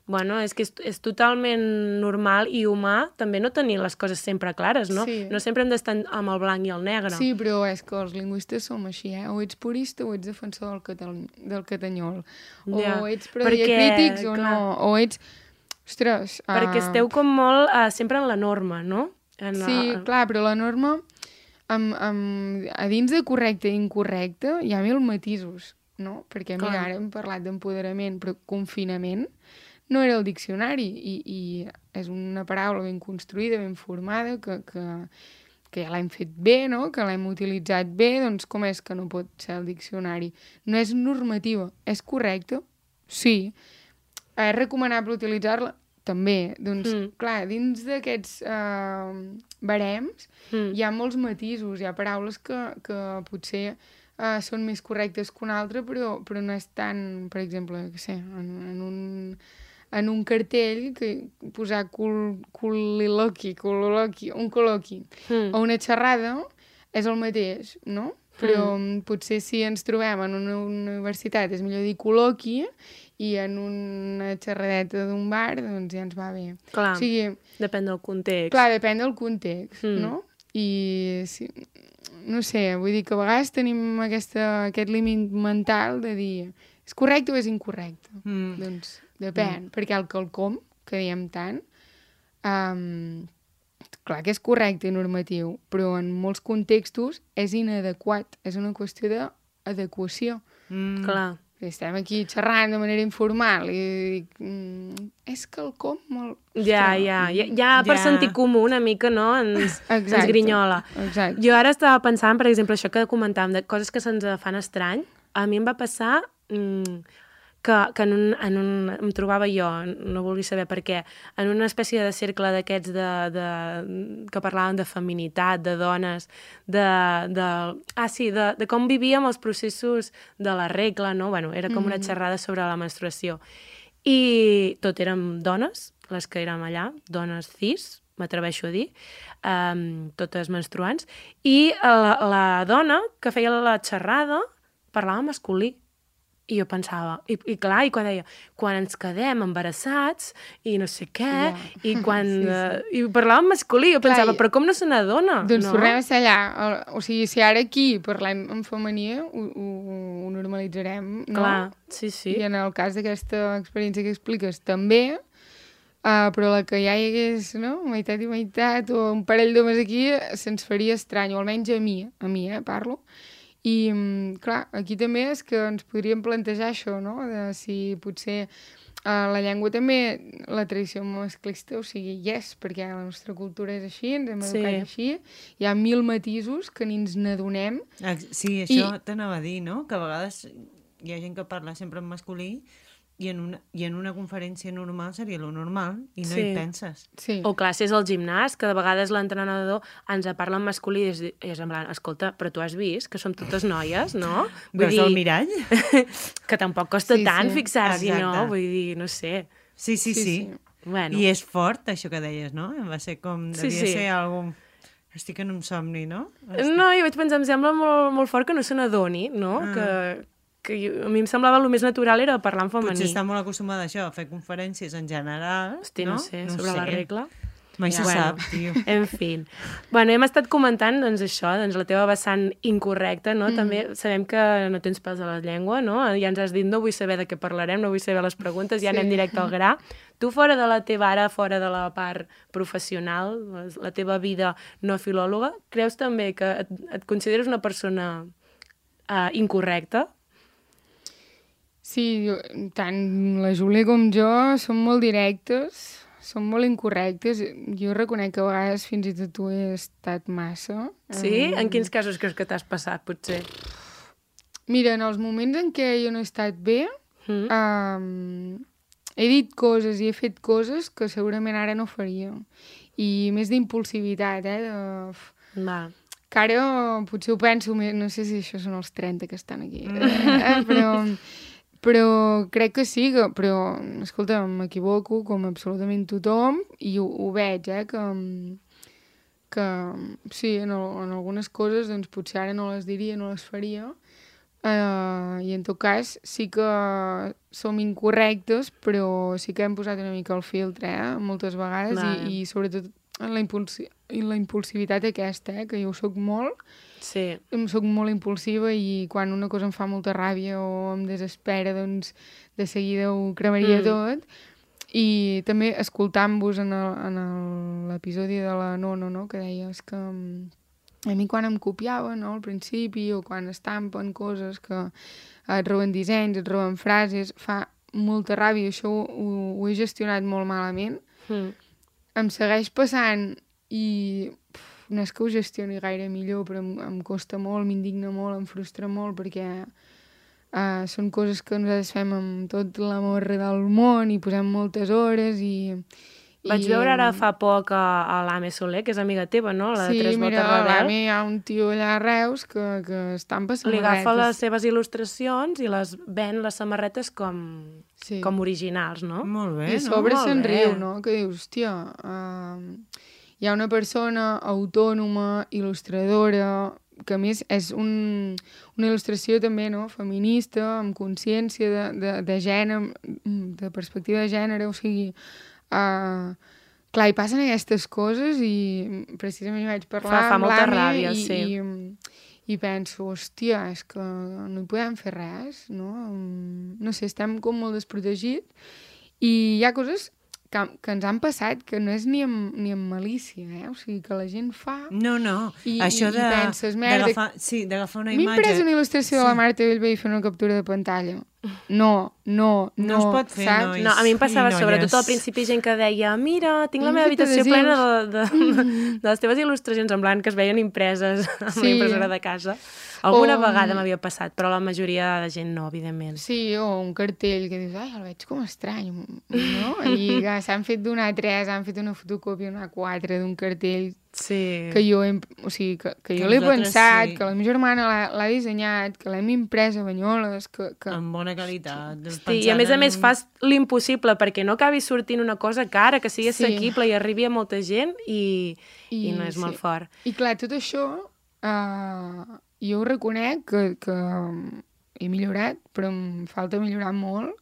Bueno, és que és totalment normal i humà també no tenir les coses sempre clares, no? Sí. No sempre hem d'estar amb el blanc i el negre. Sí, però és que els lingüistes som així, o ets purista o ets defensor del catanyol, o ets crítics o no, o ets... Ostres... Perquè esteu com molt sempre en la norma, no? Sí, clar, però la norma... a dins de correcte i incorrecte hi ha 1000 matisos, no? Perquè, mira, ara hem parlat d'empoderament, però confinament no era el diccionari i és una paraula ben construïda, ben formada, que ja l'hem fet bé, no?, que l'hem utilitzat bé, doncs com és que no pot ser el diccionari? No és normativa, és correcta? Sí. És recomanable utilitzar-la? També. Doncs, clar, dins d'aquests barems hi ha molts matisos, hi ha paraules que potser són més correctes que una altra, però no és tan, per exemple, que sé, en un cartell que posar un col·loqui o una xerrada és el mateix, no? Però potser si ens trobem en una universitat és millor dir col·loqui i en una xerradeta d'un bar doncs ja ens va bé. Clar, o sigui, depèn del context. Clar, depèn del context, no? I sí, no sé, vull dir que a vegades tenim aquest límit mental de dir és correcte o és incorrecte? Doncs depèn, perquè el quelcom, que diem tant, clar que és correcte i normatiu, però en molts contextos és inadequat, és una qüestió d'adequació. Clar. Estem aquí xerrant de manera informal i dic, és quelcom molt... Ja per sentit comú una mica, no? Ens grinyola. Exacte. Jo ara estava pensant, per exemple, això que comentàvem, de coses que se'ns fan estrany. A mi em va passar que em trobava jo, no vulgui saber per què, en una espècie de cercle d'aquests que parlaven de feminitat, de dones, de com vivíem els processos de la regla, no? Bueno, era com una xerrada sobre la menstruació. I tot érem dones, les que érem allà, dones cis, m'atreveixo a dir, totes menstruants, i la dona que feia la xerrada parlava masculí. I jo pensava, i clar, i quan deia, quan ens quedem embarassats i no sé què, i quan... I parlava en masculí, jo pensava, però com no se n'adona? Doncs tornem a ser allà. O sigui, si ara aquí parlem en femení, ho normalitzarem, no? Clar, sí. I en el cas d'aquesta experiència que expliques també, però la que ja hi hagués, no?, meitat i meitat, o un parell d'homes aquí, se'ns faria estrany, o almenys a mi, parlo. I, clar, aquí també és que ens podríem plantejar això, no?, de si potser la llengua també, la tradició masclista, o sigui, perquè la nostra cultura és així, ens hem educat així, hi ha 1000 matisos que ni ens n'adonem. Sí, això t'anava a dir, no?, que a vegades hi ha gent que parla sempre en masculí i en una conferència normal seria lo normal i no hi penses. Sí. O classes al gimnàs, que de vegades l'entrenador ens parla en masculí i és en plan, escolta, però tu has vist que som totes noies, no? Veus el mirall? Que tampoc costa tant fixar-s'hi, no? Vull dir, no sé. Sí. Bueno. I és fort, això que deies, no? Va ser com... Devia ser algun... Estic en un somni, no? No, jo vaig pensar, em sembla molt, molt fort que no se n'adoni, no? Que a mi em semblava el més natural era parlar en femení. Potser està molt acostumada a això, a fer conferències en general. Hosti, no sé, sobre la regla. Mai se sap, tio. En fi. Bueno, hem estat comentant, doncs, això, doncs, la teva vessant incorrecta, no? També sabem que no tens pèls a la llengua, no? Ja ens has dit, no vull saber de què parlarem, no vull saber les preguntes, ja anem directe al gra. Tu, fora de la teva ara, fora de la part professional, la teva vida no filòloga, creus també que et consideres una persona incorrecta? Sí, tant la Júlia com jo som molt directes, som molt incorrectes. Jo reconec que a vegades fins i tot ho he estat massa. Sí? En quins casos creus que t'has passat, potser? Mira, en els moments en què jo no he estat bé, he dit coses i he fet coses que segurament ara no faria. I més d'impulsivitat, que ara potser ho penso més, no sé si això són els 30 que estan aquí, però crec que sí, però, escolta, m'equivoco com absolutament tothom i ho veig, que sí, en algunes coses doncs potser ara no les diria, no les faria, i en tot cas sí que som incorrectes, però sí que hem posat una mica el filtre, moltes vegades, i sobretot en la impulsivitat aquesta, que jo ho soc molt. Sí. Soc molt impulsiva i quan una cosa em fa molta ràbia o em desespera, doncs de seguida ho cremaria tot. I també escoltant-vos en l'episodi de la Nono, no? Que deies que a mi quan em copiaven, no? Al principi, o quan estampen coses que et roben dissenys, et roben frases, fa molta ràbia. Això ho he gestionat molt malament. Em segueix passant i no és que ho gestioni gaire millor, però em costa molt, m'indigna molt, em frustra molt, perquè són coses que nosaltres fem amb tot l'amor del món i posem moltes hores i... Vaig veure ara fa poc a l'Ame Soler, que és amiga teva, no? La de Tres Botes Rebel. Sí, mira, hi ha un tio allà a Reus que estampa samarretes. Li agafa les seves il·lustracions i les ven les samarretes com originals, no? Molt bé, no? I a sobre se'n riu, no? Que dius, hòstia, hi ha una persona autònoma, il·lustradora, que a més és una il·lustració també, no?, feminista, amb consciència de gènere, de perspectiva de gènere, o sigui... clar, hi passen aquestes coses i precisament hi vaig parlar fa amb molta l'Ami ràbia, sí. I penso, hòstia, és que no hi podem fer res, no? No sé, estem com molt desprotegits i hi ha coses que ens han passat que no és ni amb malícia, o sigui, que la gent fa... No, això i penses, merda... d'agafar una imatge... M'he pres una il·lustració de la Marta Bellvei i fer una captura de pantalla. No es pot fer, saps? nois. No, a mi em passava sobretot al principi gent que deia mira, tinc la meva habitació plena de les teves il·lustracions en blanc que es veien impreses amb la impressora de casa. Alguna vegada m'havia passat, però la majoria de gent no, evidentment. Sí, o un cartell que dius, ai, el veig com estrany, no? I s'han fet d'un A3, han fet una fotocòpia, una A4 d'un cartell que jo l'he pensat, que la meva germana l'ha dissenyat, que l'hem imprès a Banyoles, que... Amb bona qualitat. Sí, i a més fas l'impossible perquè no acabi sortint una cosa cara, que sigui assequible i arribi a molta gent i no és molt fort. I clar, tot això jo ho reconec que he millorat, però em falta millorar molt,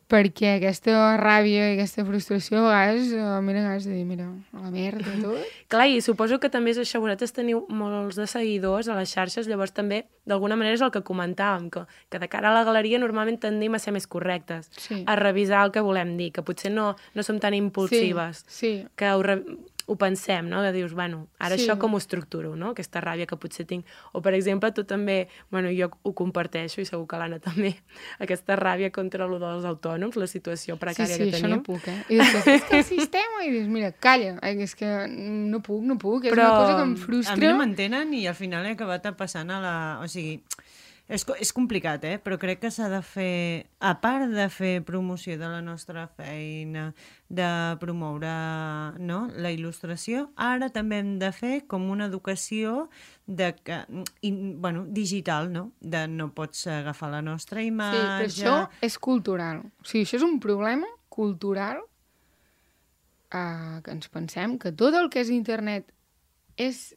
perquè aquesta ràbia i aquesta frustració a vegades m'he ganes de dir, mira, a la merda tot. Clar, i suposo que també és això, vosaltres teniu molts de seguidors a les xarxes, llavors també, d'alguna manera és el que comentàvem, que de cara a la galeria normalment tendim a ser més correctes, a revisar el que volem dir, que potser no som tan impulsives, que ho pensem, no? Que dius, bueno, ara això com ho estructuro, no? Aquesta ràbia que potser tinc. O, per exemple, tu també, bueno, jo ho comparteixo i segur que l'Anna també, aquesta ràbia contra allò dels autònoms, la situació precària que tenim. Sí, això no puc, I després, és que el sistema, i dius, mira, calla, és que no puc, és una cosa que em frustra. A mi no m'entenen i al final he acabat passant a la... O sigui, és complicat, però crec que s'ha de fer, a part de fer promoció de la nostra feina, de promoure la il·lustració, ara també hem de fer com una educació digital, no? De no pots agafar la nostra imatge... Sí, però això és cultural. O sigui, això és un problema cultural que ens pensem que tot el que és internet és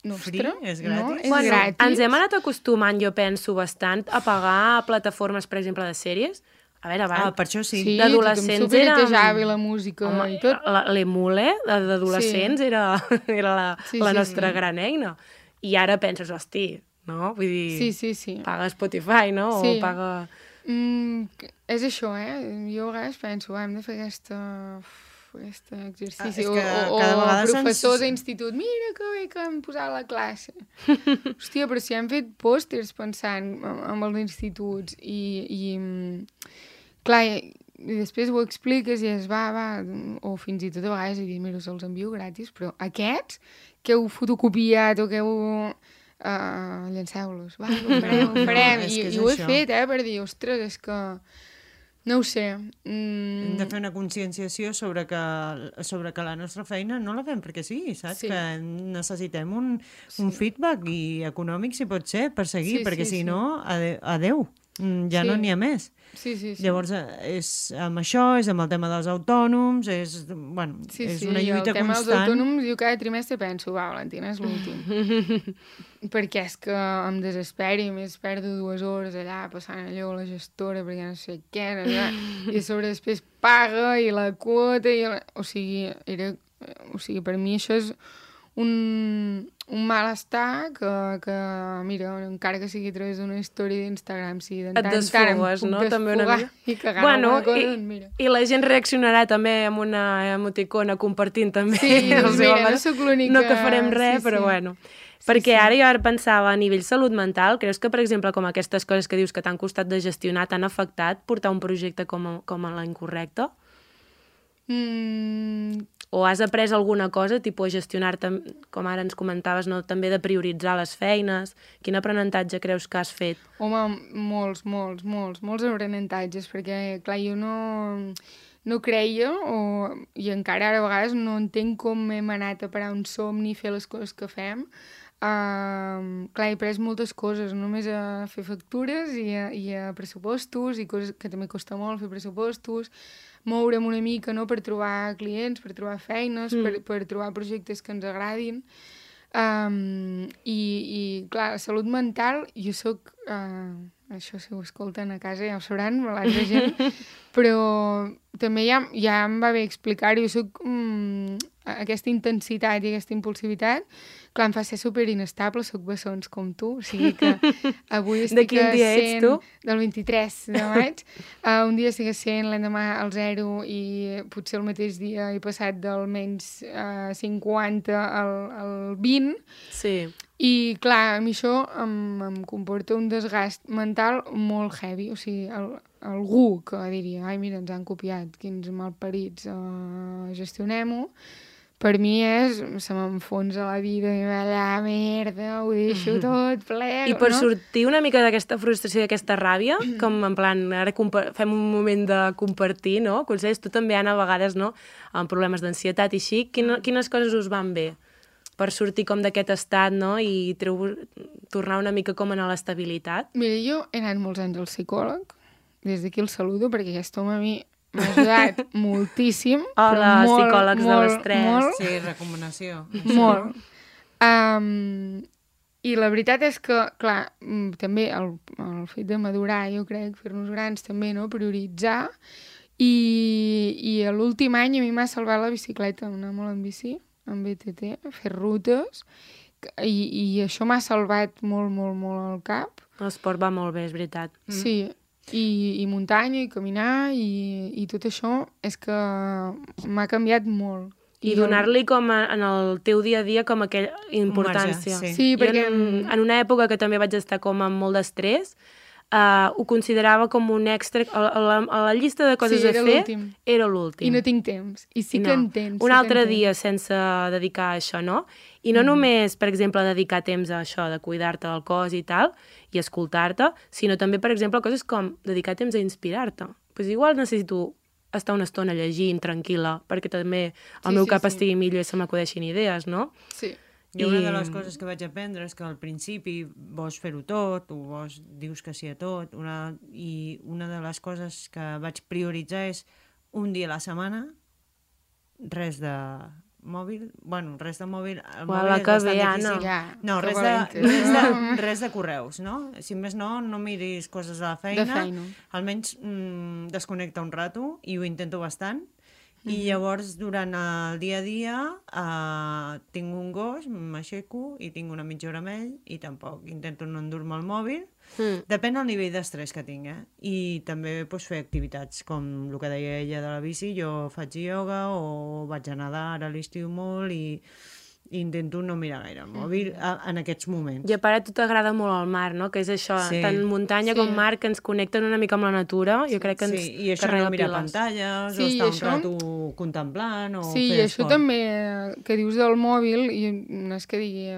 nostre, és gratis. És gratis. Ens hem anat acostumant, jo penso, bastant a pagar plataformes, per exemple, de sèries. A veure, abans... per això sí. D'adolescents era... Sí, la música i tot. L'emule d'adolescents era la nostra gran eina. I ara penses, hosti, no? Vull dir, paga Spotify, no? O paga... És això, Jo a vegades penso, hem de fer aquest exercici, o professors d'institut, mira que bé que hem posat la classe. Hòstia, però si hem fet pòsters pensant en els instituts i clar, i després ho expliques i es va, o fins i tot a vegades i dius, mira, se'ls envio gratis, però aquests que heu fotocopiat o que heu... llanceu-los, ho farem. I ho he fet, per dir, ostres, és que... No ho sé. Hem de fer una conscienciació sobre que la nostra feina no la fem perquè sí, saps? Que necessitem un feedback i econòmic, si pot ser, per seguir, perquè si no, adeu. Ja no n'hi ha més. Llavors, és amb això, és amb el tema dels autònoms, és una lluita constant. El tema dels autònoms, jo cada trimestre penso, Valentina, és l'últim. Perquè és que em desesperi, més perdo 2 hores allà passant allò a la gestora perquè no sé què, i a sobre després paga i la quota, o sigui, per mi això és un malestar que, mira, encara que sigui a través d'una història d'Instagram, si de tant en tant em puc desfogar i cagar alguna cosa, mira. I la gent reaccionarà també amb una emoticona compartint també. No sóc l'única. No que farem res, però bueno. Perquè ara jo pensava, a nivell salut mental, creus que, per exemple, com aquestes coses que dius que t'han costat de gestionar, t'han afectat portar un projecte com a la incorrecta? O has après alguna cosa, tipus a gestionar-te, com ara ens comentaves, no? També de prioritzar les feines? Quin aprenentatge creus que has fet? Home, molts aprenentatges, perquè, clar, jo no creia, i encara ara a vegades no entenc com hem anat a parar un somni i fer les coses que fem. Clar, he après moltes coses, no només a fer factures i a pressupostos, i coses que també costa molt fer pressupostos, moure'm una mica, no?, per trobar clients, per trobar feines, per trobar projectes que ens agradin. I clar, la salut mental, jo soc... això si ho escolten a casa ja ho sabran, l'altra gent, però també ja em va bé explicar-ho, jo soc aquesta intensitat i aquesta impulsivitat, clar, em fa ser super inestable, soc bessons com tu, o sigui que avui estic a 100... De quin dia ets, tu? Del 23 de maig. Un dia estic a 100, l'endemà al 0, i potser el mateix dia he passat d'almenys 50 al 20. Sí. I, clar, a mi això em comporta un desgast mental molt heavy. O sigui, algú que diria, ai, mira, ens han copiat, quins malparits, gestionem-ho, per mi se m'enfonsa la vida, i allà, merda, ho deixo tot, plego, I per sortir una mica d'aquesta frustració i d'aquesta ràbia, com en plan, ara fem un moment de compartir, no? Consells, tu també, Anna, a vegades, no?, amb problemes d'ansietat i així, quines coses us van bé per sortir com d'aquest estat, no?, i tornar una mica com a l'estabilitat? Mira, jo he anat molts anys al psicòleg, des d'aquí el saludo, perquè aquest home a mi m'ha ajudat moltíssim. Hola, psicòlegs de l'estrès. Sí, recomanació. Molt. I la veritat és que, clar, també el fet de madurar, jo crec, fer-nos grans també, no? Prioritzar. I l'últim any a mi m'ha salvat la bicicleta, anar molt en bici, en BTT, fer rutes, i això m'ha salvat molt, molt, molt el cap. L'esport va molt bé, és veritat. Sí, i muntanya, i caminar, i tot això és que m'ha canviat molt. I donar-li com en el teu dia a dia com aquella importància. Sí, perquè... en una època que també vaig estar com amb molt d'estrès, ho considerava com un extra... A la llista de coses a fer era l'últim. I no tinc temps. I sí que en tens. Un altre dia sense dedicar a això, no? I no només, per exemple, dedicar temps a això, de cuidar-te del cos i tal, i escoltar-te, sinó també, per exemple, coses com dedicar temps a inspirar-te. Pues igual necessito estar una estona llegint, tranquil·la, perquè també el meu cap estigui millor i se m'acudeixin idees, no? Sí. I una de les coses que vaig aprendre és que al principi vols fer-ho tot, o dius que sí a tot, i una de les coses que vaig prioritzar és un dia a la setmana, res de mòbil, res de mòbil, el mòbil és bastant difícil. No, res de correus, no? Si més no miris coses de la feina. Almenys desconnecta un rato, i ho intento bastant. I llavors, durant el dia a dia, tinc un gos, m'aixeco i tinc una mitja hora amb ell, i tampoc intento no endur-me el mòbil. Depèn del nivell d'estrès que tinc, I també fer activitats, com el que deia ella de la bici, jo faig ioga o vaig a nedar, ara a l'estiu molt, i intento no mirar gaire el mòbil en aquests moments. I a part, a tu t'agrada molt el mar, no? Que és això, tant muntanya com mar, que ens connecten una mica amb la natura. Jo crec que ens i això no mirar pantalles, o estar un rato contemplant, o fer esport. Sí, i això també que dius del mòbil, i no és que digui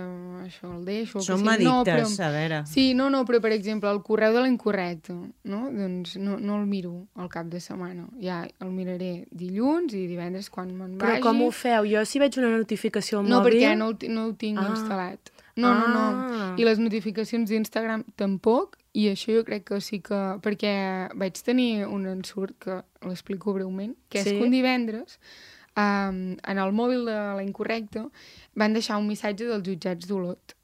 això, el deixo... Som addictes, a veure. Sí, però per exemple, el correu de l'incorrecte, no? Doncs no el miro al cap de setmana. Ja el miraré dilluns i divendres quan me'n vagi. Però com ho feu? Jo si veig una notificació al mòbil... Ja no ho tinc instal·lat. No. I les notificacions d'Instagram tampoc, i això jo crec que sí que... Perquè vaig tenir un ensurt, que l'explico breument, que és que un divendres, en el mòbil de la Incorrecta, van deixar un missatge dels jutjats d'Olot.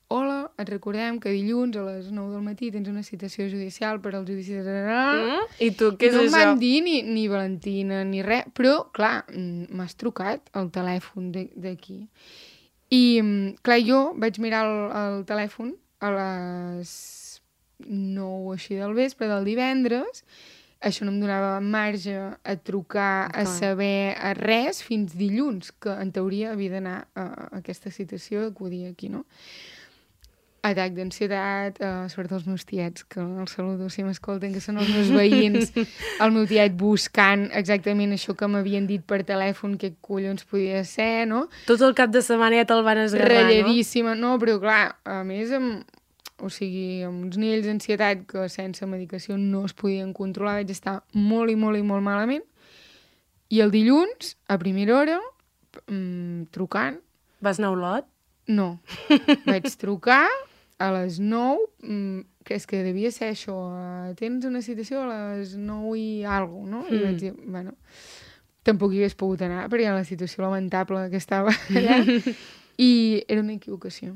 Hola, et recordem que dilluns a les 9 del matí tens una citació judicial per al judici de... I tu, què és això? No em van dir ni Valentina ni res, però, clar, m'has trucat el telèfon d'aquí. I, clar, jo vaig mirar el telèfon a les 9 així del vespre del divendres. Això no em donava marge a trucar, a saber res, fins dilluns, que en teoria havia d'anar a aquesta citació, acudir aquí, no? Atac d'ansietat, sobretot els meus tiets, que els saludo si m'escolten, que són els meus veïns, el meu tiet buscant exactament això que m'havien dit per telèfon, què collons podia ser, no? Tot el cap de setmana ja te'l van esgarrar, no? Ratlladíssima, no? Però clar, a més, amb uns nivells d'ansietat que sense medicació no es podien controlar, vaig estar molt i molt i molt malament. I el dilluns, a primera hora, trucant... Vas anar a Olot? No. Vaig trucar a les 9, que és que devia ser això, tens una citació a les 9 i alguna cosa, no? I vaig dir, bueno, tampoc hi hagués pogut anar, perquè la situació lamentable que estava allà, i era una equivocació,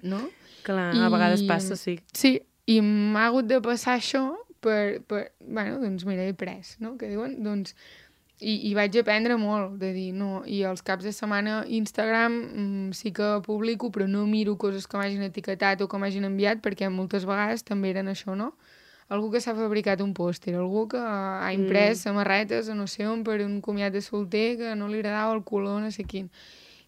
no? Clar, a vegades passa, sí. Sí, i m'ha hagut de passar això bueno, doncs mira, he pres, no? Que diuen, doncs... I vaig aprendre molt, de dir, no, i els caps de setmana Instagram sí que publico, però no miro coses que m'hagin etiquetat o que m'hagin enviat, perquè moltes vegades també eren això, no? Algú que s'ha fabricat un pòster, algú que ha imprès samarretes a no sé on per un comiat de solter que no li agradava el color, no sé quin.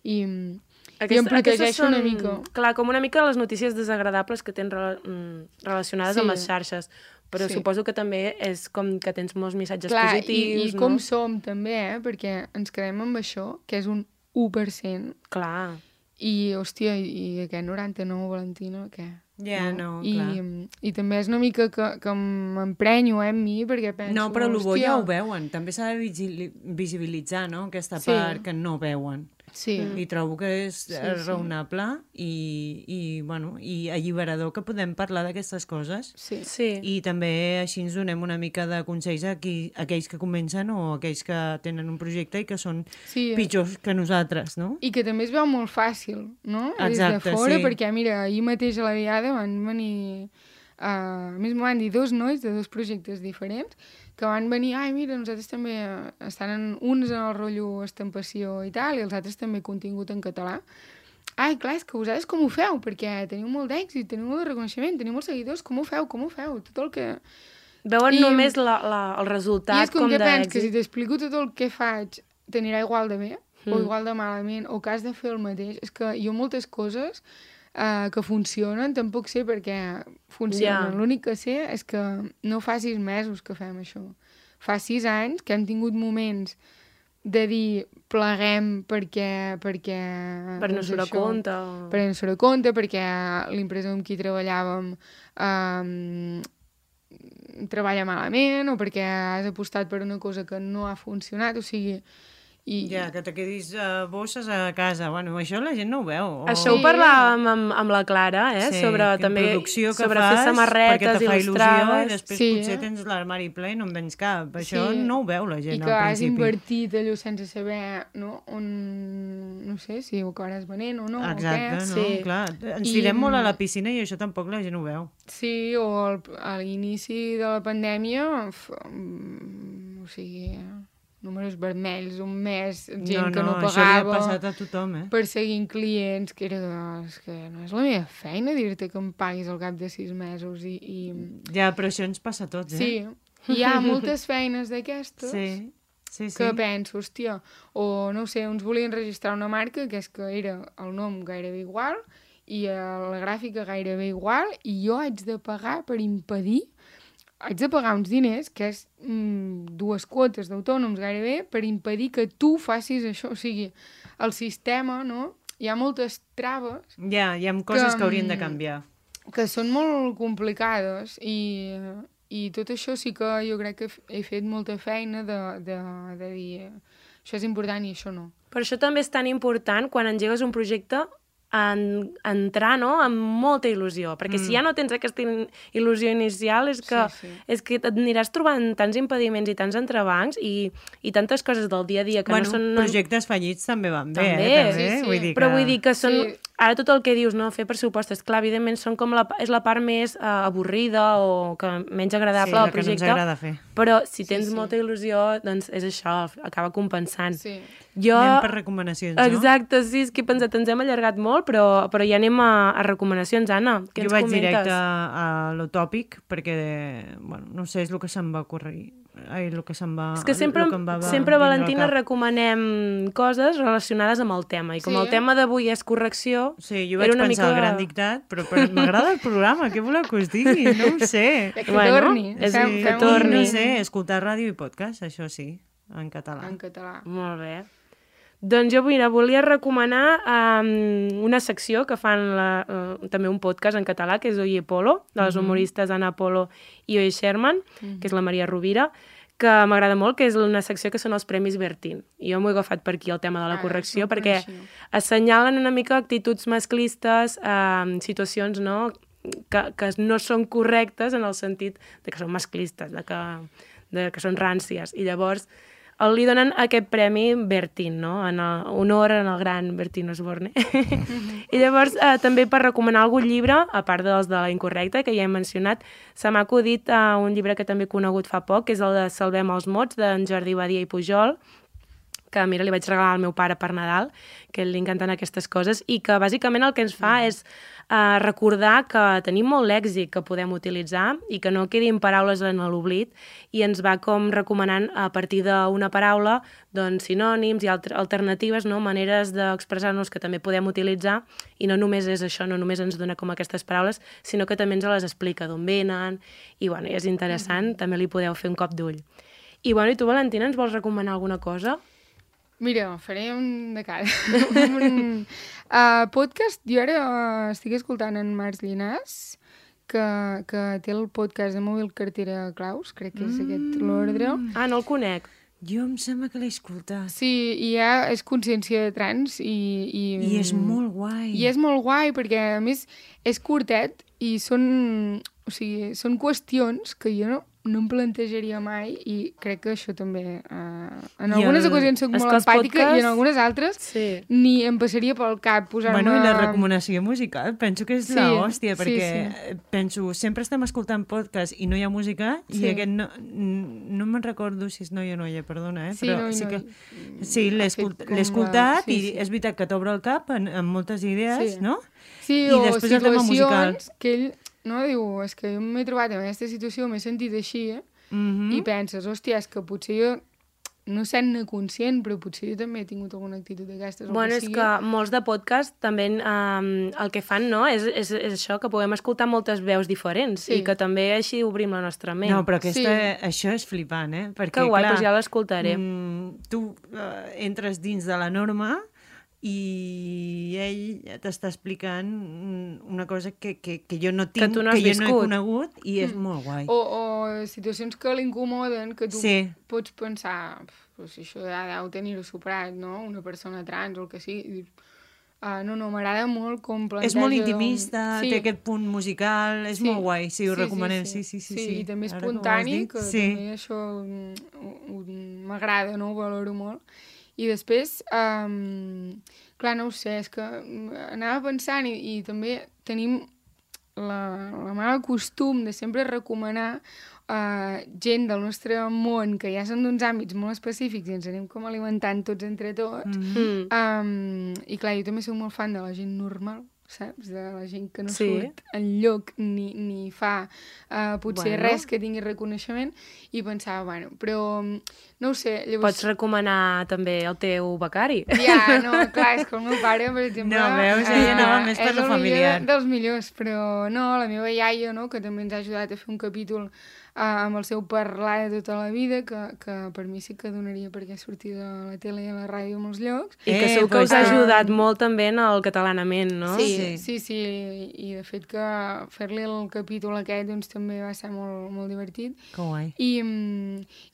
I em protegeixo una mica. Clar, com una mica les notícies desagradables que tens relacionades amb les xarxes. Però suposo que també és com que tens molts missatges positius, i com som també, perquè ens quedem amb això, que és un 1%. Clar. I, hòstia, i aquest 99, Valentina, què? Ja, no, clar. I també és una mica que m'emprenyo amb mi, perquè penso... No, però el bo ja ho veuen. També s'ha de visibilitzar, no?, aquesta part que no veuen. Sí. I trobo que és raonable i alliberador que podem parlar d'aquestes coses. Sí. Sí. I també així ens donem una mica de consells a aquells que comencen o aquells que tenen un projecte i que són pitjors que nosaltres, no? I que també es veu molt fàcil, no? Exacte, des de fora, sí. perquè, mira, ahir mateix a la diada van venir... a més, m'ho van dir 2 nois de 2 projectes diferents que van venir, mira, nosaltres també estan uns en el rotllo estampació i tal, i els altres també contingut en català. Clar, és que vosaltres com ho feu? Perquè teniu molt d'èxit, teniu molt de reconeixement, teniu molts seguidors, com ho feu? Tot el que... Veuen només el resultat I és com de que penso que si èxit. t'explico tot el que faig t'anirà igual de bé o igual de malament o que has de fer el mateix. És que jo moltes coses que funcionen tampoc sé per què funcionen. L'únic que sé és que no fa 6 mesos que fem això. Fa 6 anys que hem tingut moments de dir pleguem perquè Per no surt a compte. Per no surt a compte, perquè l'empresa amb qui treballàvem treballa malament o perquè has apostat per una cosa que no ha funcionat, o sigui... Ja, que te quedis bosses a casa. Bueno, això la gent no ho veu. Això ho parlàvem amb la Clara, sobre també producció que sobre fas, fer samarretes perquè te fa il·lustrades. Il·lusió i després potser tens l'armari ple i no en vens cap. Això no ho veu la gent al principi. I que has invertit allò sense saber on, no sé, si ho acabaràs venent o no. Exacte, o què. Clar. Ens tirem molt a la piscina i això tampoc la gent ho veu. Sí, o a l'inici de la pandèmia, o sigui... números vermells, un mes, gent que no pagava... això li ha passat a tothom, perseguint clients, que era que no és la meva feina dir-te que em paguis al cap de 6 mesos i... Ja, però això ens passa a tots, Sí, hi ha moltes feines d'aquestes que penso, hòstia, o no sé, uns volien registrar una marca que és que era el nom gairebé igual i la gràfica gairebé igual i jo haig de pagar per impedir haig de pagar uns diners, que és 2 quotes d'autònoms gairebé, per impedir que tu facis això. O sigui, el sistema, no? Hi ha moltes traves... Ja, hi ha coses que haurien de canviar. Que són molt complicades i tot això sí que jo crec que he fet molta feina de dir això és important i això no. Per això també és tan important quan engegues un projecte entrar, no?, amb molta il·lusió, perquè si ja no tens aquesta il·lusió inicial és que t'aniràs trobant tants impediments i tants entrebancs i tantes coses del dia a dia que no són... projectes fallits també van bé, també. Vull dir que... Però vull dir que són... Ara tot el que dius, no?, fer pressupostes, clar, evidentment són com és la part més avorrida o que menys agradable del projecte. Sí, la que no ens agrada fer. Però si tens molta il·lusió, doncs és això, acaba compensant. Sí. Anem per recomanacions, no? Exacte, sí, és que he pensat, ens hem allargat molt, però ja anem a recomanacions, Anna. Què ens comentes? Jo vaig directe a lo tòpic, perquè, bueno, no sé, és el que se'm va ocorrir. El que se'm va... És que sempre Valentina, recomanem coses relacionades amb el tema, i com el tema d'avui és correcció... Sí, jo vaig pensar el gran dictat, però m'agrada el programa, què voleu que us digui? No ho sé. Que torni. Que torni. No sé, escoltar ràdio i podcast, això sí, en català. En català. Molt bé. Doncs jo, mira, volia recomanar una secció que fan també un podcast en català, que és Oye Polo, de les humoristes Anna Polo i Oye Sherman, que és la Maria Rovira, que m'agrada molt, que és una secció que són els Premis Bertín. I jo m'ho he agafat per aquí, el tema de la correcció, perquè assenyalen una mica actituds masclistes, situacions, no?, que no són correctes en el sentit de que són masclistes, de que són ràncies. I llavors li donen aquest premi Bertín, no?, en honor al gran Bertín Osborne. I llavors, també per recomanar algun llibre, a part dels de la incorrecta, que ja hem mencionat, se m'ha acudit un llibre que també he conegut fa poc, que és el de Salvem els mots, d'en Jordi Badia i Pujol, que, mira, li vaig regalar al meu pare per Nadal, que li encanten aquestes coses, i que bàsicament el que ens fa és recordar que tenim molt lèxic que podem utilitzar i que no quedin paraules en l'oblit, i ens va com recomanant a partir d'una paraula doncs, sinònims i alternatives, no?, maneres d'expressar-nos que també podem utilitzar, i no només és això, no només ens dona com aquestes paraules, sinó que també ens les explica d'on venen, i bueno, és interessant, també li podeu fer un cop d'ull. I bueno, i tu, Valentina, ens vols recomanar alguna cosa? Mira, faré un de cada. Podcast, jo ara estic escoltant en Marc Llinàs, que té el podcast de Mòbil Cartera Claus, crec que és aquest l'ordre. Ah, no el conec. Jo em sembla que l'he escoltat. Sí, i és consciència de trans i és molt guai. I és molt guai perquè, a més, és curtet i són qüestions que jo no em plantejaria mai i crec que això també... en algunes ocasions soc molt empàtica i en algunes altres ni em passaria pel cap posar-me... Bueno, i la recomanació musical penso que és l'hòstia, perquè penso, sempre estem escoltant podcast i no hi ha música i aquest no me'n recordo si és noi o noia, perdona, però sí que... Sí, l'he escoltat i és veritat que t'obre el cap en moltes idees, no? Sí, o situacions que ell... No, diu, és que jo m'he trobat en aquesta situació, m'he sentit així, i penses, hòstia, és que potser jo, no sent-ne conscient, però potser jo també he tingut alguna actitud d'aquestes. Bueno, és que molts de podcast també el que fan, no?, és això, que puguem escoltar moltes veus diferents i que també així obrim la nostra ment. No, però això és flipant, Perquè, que guai, doncs ja l'escoltaré. Tu entres dins de la norma i ell t'està explicant una cosa que jo no tinc, que jo no he conegut i és molt guai. O situacions que l'incomoden, que tu pots pensar, però si això ja deu tenir-ho superat, no? Una persona trans o el que sigui. No, m'agrada molt com planteja... És molt intimista, té aquest punt musical, és molt guai, ho recomanem. Sí, i també espontani, que també això m'agrada, no? Ho valoro molt. I després, clar, no ho sé, és que anava pensant i també tenim la mala costum de sempre recomanar gent del nostre món que ja són d'uns àmbits molt específics i ens anem com alimentant tots entre tots. I clar, jo també soc molt fan de la gent normal, saps? De la gent que no surt enlloc ni fa potser res que tingui reconeixement i pensava, bueno, però no ho sé, llavors... Pots recomanar també el teu becari? Ja, no, clar, és que el meu pare, per exemple... No, veus, ella anava més per lo familiar. És dels millors, però no, la meva iaia, no?, que també ens ha ajudat a fer un capítol amb el seu parlar de tota la vida, que per mi sí que donaria perquè sortir de la tele i a la ràdio a molts llocs. I que segur que us ha ajudat molt també en el catalanament, no? Sí, i de fet que fer-li el capítol aquest doncs també va ser molt, molt divertit. Que guai. I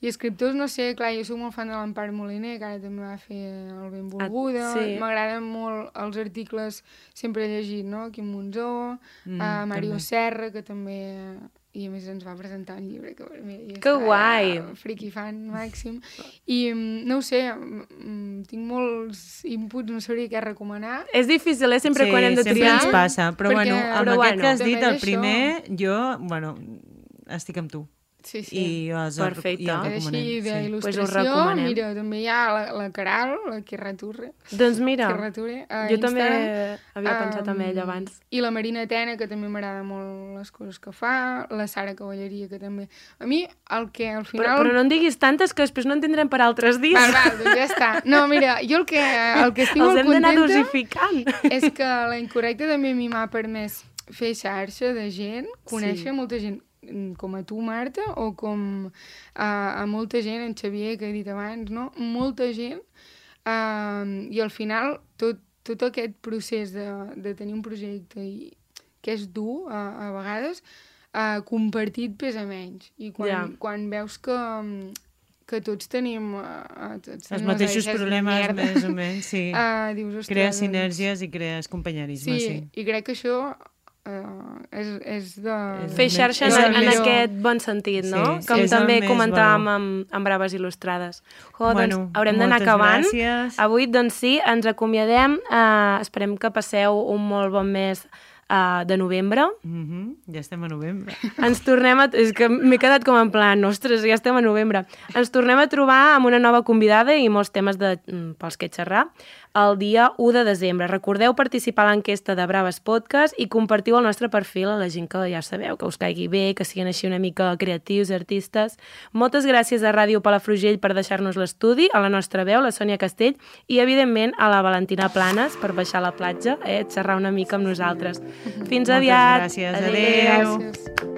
escriptors, no sé, clar, jo soc molt fan de l'Empar Moliner, que ara també va fer el Benvolguda. M'agraden molt els articles, sempre he llegit, no? Quim Monzó, Mario Serra, que també... I a més ens va presentar un llibre que per mi que guai! Friki fan màxim. I no ho sé, tinc molts inputs, no sabria què recomanar. És difícil, sempre quan hem de triar. Sí, sempre ens passa, però bueno, amb aquest que has dit, el primer, jo, bueno, estic amb tu. Sí. Perfecte. Així d'il·lustració, mira, també hi ha la Caral, la Quirraturre. Doncs mira, jo també havia pensat en ella abans. I la Marina Tena, que també m'agrada molt les coses que fa, la Sara Cavalleria, que també... A mi, el que al final... Però no en diguis tantes que després no en tindrem per altres dies. Val, doncs ja està. No, mira, jo el que estic molt contenta... Els hem d'anar dosificant. És que la Incorrecta també a mi m'ha permès fer xarxa de gent, conèixer molta gent com a tu, Marta, o com a molta gent, en Xavier, que he dit abans, no? Molta gent. I al final, tot aquest procés de tenir un projecte que és dur, a vegades, compartit pesa menys. I quan veus que tots tenim els mateixos problemes, més o menys, sí. Dius, crees sinergies i crees companyerisme, sí. I crec que això... és de... Fer xarxa en aquest bon sentit, no? Com també comentàvem amb Braves Il·lustrades. Doncs haurem d'anar acabant. Avui, doncs sí, ens acomiadem. Esperem que passeu un molt bon mes de novembre. Ja estem a novembre. Ens tornem a... És que m'he quedat com en plan, ostres, ja estem a novembre. Ens tornem a trobar amb una nova convidada i molts temes pels que xerrar el dia 1 de desembre. Recordeu participar a l'enquesta de Braves Podcast i compartiu el nostre perfil a la gent que ja sabeu, que us caigui bé, que siguin així una mica creatius, artistes. Moltes gràcies a Ràdio Palafrugell per deixar-nos l'estudi, a la nostra veu, la Sònia Castell, i evidentment a la Valentina Planes per baixar a la platja, xerrar una mica amb nosaltres. Fins aviat. Moltes gràcies. Adéu. Gràcies.